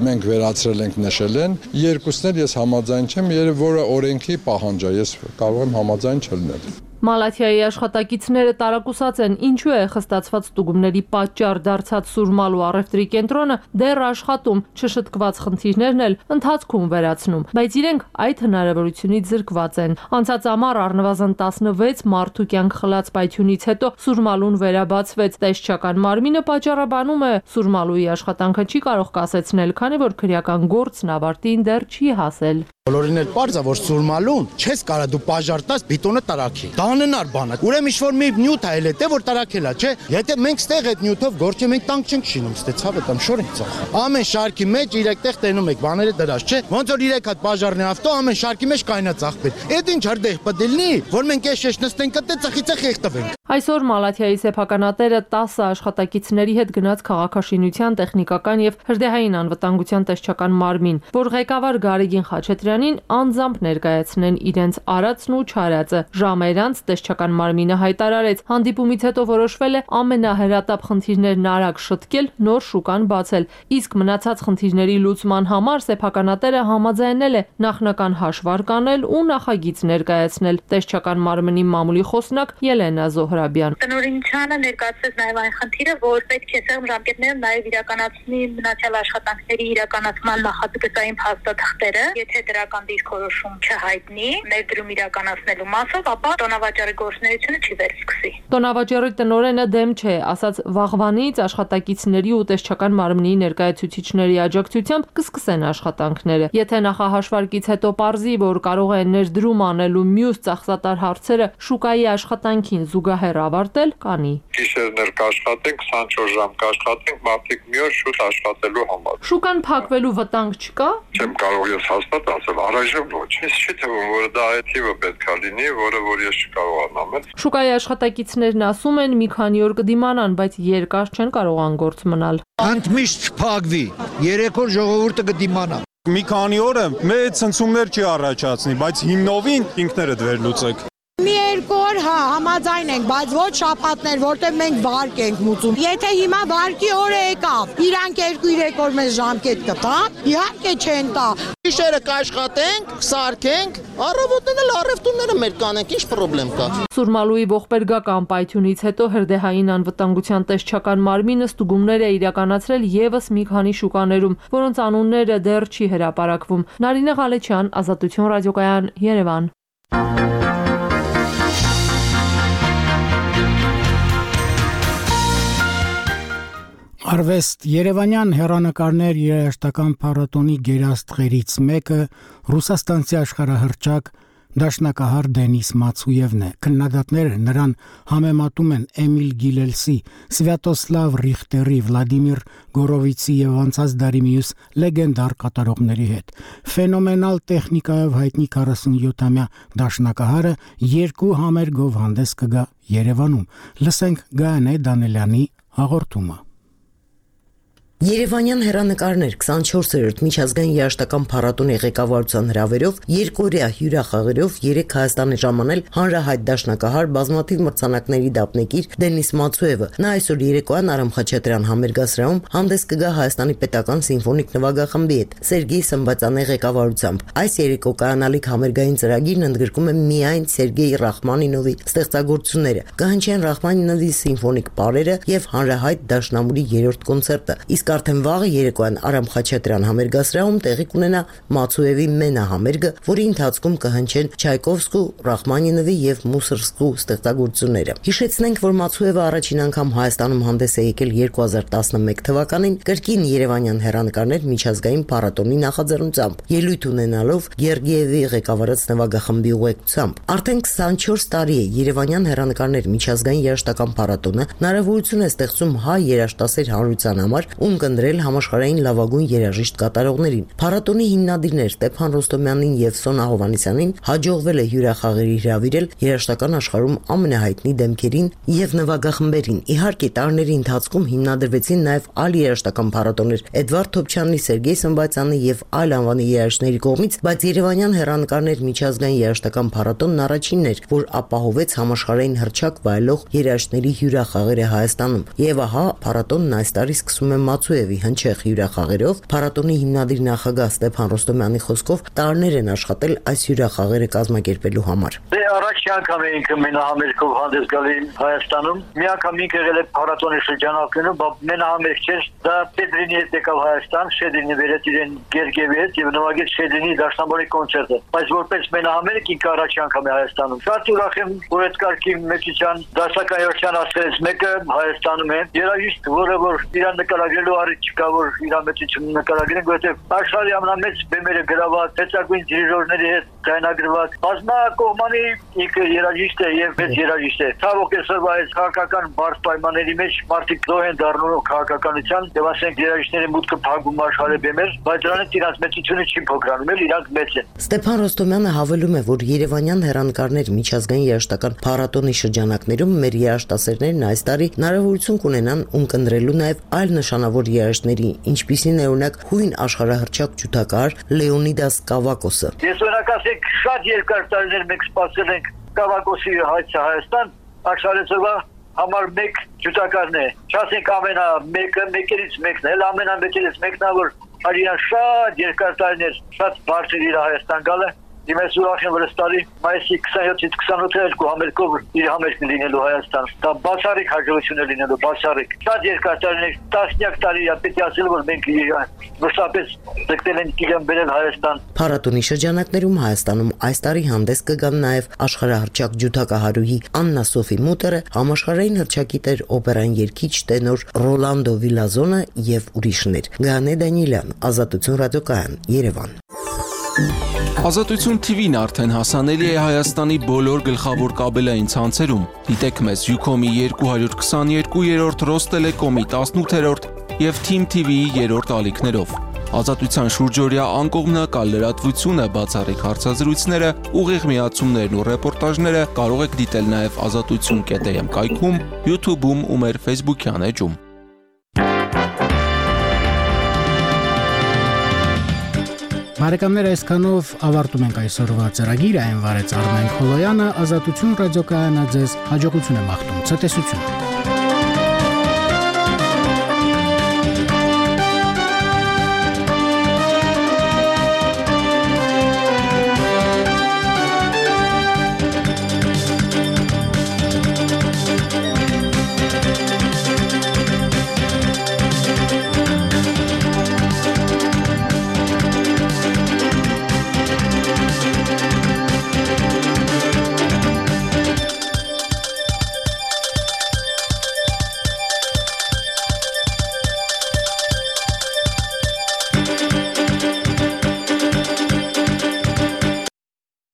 մենք վերացրել ենք նշել են, երկուսն էլ ես համաձայն չեմ, որը օրենքի պահանջ է, ես կարող եմ համաձայն չլինել։ Մալաթիայի աշխատակիցները տարակուսած են, ինչու է խստացված ստուգումների պատճառ դարձած Սուրմալու առևտրի կենտրոնը դեռ աշխատում, չշտկված խնդիրներն էլ ընթացքում վերացնում, բայց իրենք այդ հնարավորությունից զրկված են։ Անցած ամառ առնվազն տասնվեց մարդու կյանք խլած պայթյունից հետո Սուրմալուն վերաբացվեց։ Տեսչական մարմինը պատճառաբանում է Սուրմալուի աշխատանքը չի կարող կասեցնել, քանի որ քրեական գործն ավարտին դեռ չի հասել։ Բոլորին էլ պարզ է, որ Սուրմալուն չես կարա դու պաժար տաս բիտոնը տարակի։ Դա անհնար բան է։ Ուրեմն ինչ-որ մի նյութ է էլ է, որ տարակել է, չէ։ Եթե մենք ստեղ այդ նյութով գործ մենք տանք չենք շինում, ստե ցավը տամ շոր ենք ծախ։ Ամեն շարքի մեջ իրեք տեղ տենում եք բաները դրած, չէ։ Ոնց որ իրեք հատ պաժարնի ավտո ամեն շարքի մեջ կայնա ծախվել։ Այդ ինչ հրդեհ պետք լինի, որ մենք էշ-էշ նստենք կտե ծխի ծխ եղտվենք։ Այսօր Մալաթիայի սեփականատերը տասը աշխատակիցների հետ գնաց քաղաքաշինության, տեխնիկական եւ հրդեհային անվտանգության տեսչական մարմին, որ ղեկավար Գարեգին Խաչատրյանին անձամբ ներկայացնեն իրենց արածն ու չարածը։ Ժամեր անց տեսչական մարմինը հայտարարեց, հանդիպումից հետո որոշվել է ամենահրատապ խնդիրներն արագ շտկել, նոր շուկան բացել, իսկ մնացած խնդիրների լուծման համար սեփականատերը համաձայնել է նախնական հաշվարկ անել ու նախագիծ ներկայացնել։ Տեսչական մարմնի մամուլի խոսնակ Ելենա Զոհրաբյան. Տնօրինությանը ներկայացրեց նաև այն խնդիրը, որ պետք է սեղմ ժամկետներում նաև իրականացնի մնացյալ աշխատանքների իրականացման նախագծային փաստաթղթերը, եթե դրական դիրքորոշում չհայտնի ներդրում իրականացնելու մասով, ապա տոնավաճառի գործունեությունը չի վերսկսի։ Տոնավաճառի տնօրենը դեմ չէ, ասաց վաղվանից աշխատակիցների ու տեսչական մարմնի ներկայացուցիչների աջակցությամբ կսկսեն աշխատանքները։ Եթե նախահաշվարկից հետո պարզի, որ կարող է ներդրում անել ու մյուս ծախսատար հարցերը շուկայի աշխատանքին զուգահեռ ավարտել, կանի։ Գիշերներ կաշխատենք, քսանչորս ժամ կաշխատենք, մարդիկ մի օր շուտ աշխատելու համար։ Շուկան փակվելու վտանգ չկա։ Չեմ կարող ես հաստատ ասել, առայժմ ոչ։ Ես չի թվում, որ դա այթիվը պետք է լինի, որը որ ես չկարողանամ։ Շուկայի աշխատակիցներն ասում են մի քանի օր կդիմանան, բայց երկար չեն կարող անգործ մնալ։ Ընդմիշտ չփակվի, երեք օր ժողովուրդը կդիմանա։ Մի քանի օրը մեծ ցնցումներ չի առաջացնի, բայց հիմնովին ինքներդ վերլուծեք։ Մի երկու օր հա համաձայն ենք, բայց ոչ շաբաթներ, որտեղ մենք վարկ ենք մուծում։ Եթե հիմա վարկի օրը եկավ, իրանք երկու-երեք օր մեզ ժամկետ կտան, իհարկե չեն տա։ Գիշերը կաշխատենք, սարքենք, առավոտն էլ առևտուրները մեր կանենք, ինչ խնդրեմ կա։ Սուրմալուի ողբերգական պայթյունից հետո հրդեհային անվտանգության տեսչական մարմինը ստուգումներ է իրականացրել եւս մի քանի շուկաներում, որոնց անունները դեռ չի հրապարակվում։ Նարինե Ղալեչյան, Ազատություն ռադիոկայան, Երևան։ Արվեստ Երևանյան հեռանկարներ երաժշտական փառատոնի գերաստղերից մեկը ռուսաստանցի աշխարհահռչակ դաշնակահար Դենիս Մացուևն է։ Քննադատները նրան համեմատում են Էմիլ Գիլելսի, Սվյատոսլավ Ռիխտերի, Վլադիմիր Գորովիցի եւ անցած դարի մյուս լեգենդար կատարողների հետ։ Ֆենոմենալ տեխնիկայով հայտնի քառասունյոթամյա դաշնակահարը երկու համերգով հանդես կգա Երևանում։ Լսենք Գայանե Դանելյանի հաղորդումը։ Երևանյան հեռանկարներ քսանչորսերորդ միջազգային երաժշտական փառատոնի ղեկավարության հրավերով երկօրյա հյուրախաղերով երեք Հայաստանի ժամանել հանրահայտ դաշնակահար բազմաթիվ մրցանակների դափնեկիր Դենիս Մացուևը։ Նա այսօր երեկոյան Արամ Խաչատրյան համերգասրահում հանդես կգա Հայաստանի պետական սիմֆոնիկ նվագախմբի հետ Սերգեյ Սմբատյանի ղեկավարությամբ։ Այս երեկո կայանալիք համերգային ծրագիրն ընդգրկում է միայն Սերգեյ Ռախմանինովի ստեղծագործությունները, կհնչեն Ռախմանինովի սիմֆոնիկ պարերը եւ հանրահայտ դաշնամուրի երրորդ կոնցերտը։ Իսկ արդեն վաղը երեկոյան Արամ Խաչատրյան համերգասրահում տեղի կունենա Մացուևի մենա համերգը, որի ընթացքում կհնչեն Չայկովսկու, Ռախմանինովի եւ Մուսորգսկու ստեղծագործությունները։ Հիշեցնենք, որ Մացուևը առաջին անգամ Հայաստանում հանդես է եկել երկու հազար տասնմեկ թվականին կրկին Երևանյան հեռանկարներ միջազգային փառատոնի նախաձեռնությամբ, ելույթ ունենալով Գերգիևի ղեկավարած նվագախմբի ուղեկցությամբ։ Արդեն քսանչորս տարի է Երևանյան հեռանկարներ միջազգային երաժշտական փառատոնը հնարավորություն է ստեղծում հայ երաժշտասեր հանրության համար կնդրել համաշխարհային լավագույն երաժիշտ կատարողներին։ Փառատոնի հիմնադիրներ Ստեփան Ռոստոմյանին եւ Սոնա Հովանեսյանին հաջողվել է հյուրախաղերի հրավիրել երաժշտական աշխարհում ամենահայտնի դեմքերին եւ նվագախմբերին։ Իհարկե, տարիների ընթացքում հիմնադրվեցին նաեւ այլ երաժշտական փառատոներ Էդվարդ Թոփչյանի, Սերգեյ Սմբատյանի եւ այլ անվանի երաժիշտների կողմից, բայց Երևանյան հեռանկարներ միջազգային երաժշտական փառատոնն առաջինն էր, որ ապահովեց համաշխարհային հռչակ վայելող երաժիշտների հյուրախաղերը Հայաստանում։ Եվ ահա փառատոնն այս տարի սկսում է Մացուևի հնչեղ հյուրախաղերով։ Փառատոնի հիմնադիր նախագահ Ստեփան Ռոստոմյանի խոսքով տարիներ են աշխատել այս հյուրախաղերը կազմակերպելու համար։ Դե առաջի անգամ էինք մենահամերգով հանդես գալի Հայաստանում։ Մի անգամ ինք եղել է փառատոնի շրջանակներում, բայց մենահամերգ չէր։ Դա Պետրինի հետ եկավ Հայաստան, Շեդրինի վերեց իրեն Գերգիևի հետ եւ նվագեց Շեդրինի դաշնամուրի կոնցերտը։ Բայց որպես մենահամերգ ինքը առաջի անգամ է Հայաստանում։ Շատ ուրախ եմ, որ այդ կարգի մեծության դասակայության ասես մեկը Հայաստանում է։ Երաժիշտ, որը որ իրան նկարագրելու առիթ չկա, որ իր մեծությունը նկարագրեն, որովհետև աշխարհի ամենամեծ բեմերը գրաված մեծագույն դիրիժորների հետ ձայնագրված բազմակողմանի ինքը երաժիշտ է եւ մեծ երաժիշտ է։ Ցավոք այսօր այս քաղաքական բարդ պայմանների մեջ մարդիկ զոհ են դառնում քաղաքականության եւ ասենք երաժիշտների մուտքը փակում աշխարհի բեմեր, բայց դրանից իրաց մեծությունը չի փոքրանում, էլ իրանք մեծ են։ Ստեփան Ռոստոմյանը հավելում է, որ Երևանյան հեռանկարներ միջազգային երաժշտական փառատոնի շրջանակներում մեր երաժշտասերներն այս տարի հնարավորություն կունենան ունկնդրելու նաեւ այլ նշանավոր երաժիշտների, ինչպիսին է օրինակ հույն աշխարհահռչակ ջութակահար Լեոնիդաս Կավակոսը։ Ես օրինակ ասենք շատ երկար տարիներ մենք սպասել ենք Կավակոսի հայցը Հայաստան, աշխարհեցվա համար մեկ ջութակարն է։ Չասենք ամենա մեկը, մեկերից մեկն է, ամենամեկերից մեկն է, որ արիան շատ երկար տարիներ շատ բարձր իր Հայաստան գալը։ Դիմես ուրախ եմ, որ այս տարի մայիսի քսանյոթից քսանութը երկու համերգով իր համերգն լինելու Հայաստան։ Դա բացառիկ հաջողություն է լինելու, բացառիկ։ Շատ երկար տարիներ, տասնյակ տարի է պետք է ասել, որ մենք մշտապես ձգտել ենք իրեն բերել Հայաստան։ Փառատոնի շրջանակներում Հայաստանում այս տարի հանդես կգան նաև աշխարհահռչակ ջութակահարուհի Աննա Սոֆի Մուտերը, համաշխարհային հռչակիտեր օպերան երգիչ տենոր Ռոլանդո Վիլազոնը եւ ուրիշներ։ Գանե Դանիելյան, Ազատություն ռադիոկայան, Երևան։ Ազատություն T V-ն արդեն հասանելի է Հայաստանի բոլոր գլխավոր կաբելային ցանցերում։ Դիտեք մեզ Ucom-ի երկու քսաներկու, Ռոստելեկոմի տասնութերորդ եւ Team T V-ի երրորդ ալիքներով։ Ազատության շուրջօրյա անկողմնակալ լրատվությունը, բացառիկ հարցազրույցները, ուղիղ միացումներն ու ռեպորտաժները կարող եք դիտել նաեւ ազատություն կետ am կայքում, YouTube-ում ու մեր Facebook-յան էջում։ Բարեկամներ, այսքանով ավարտում ենք այսօրվա ծրագիրը, այն վարեց Արմեն Խոլոյանը, Ազատություն ռադիոկայանը ձեզ հաջողություն է մաղթում, ցտեսություն։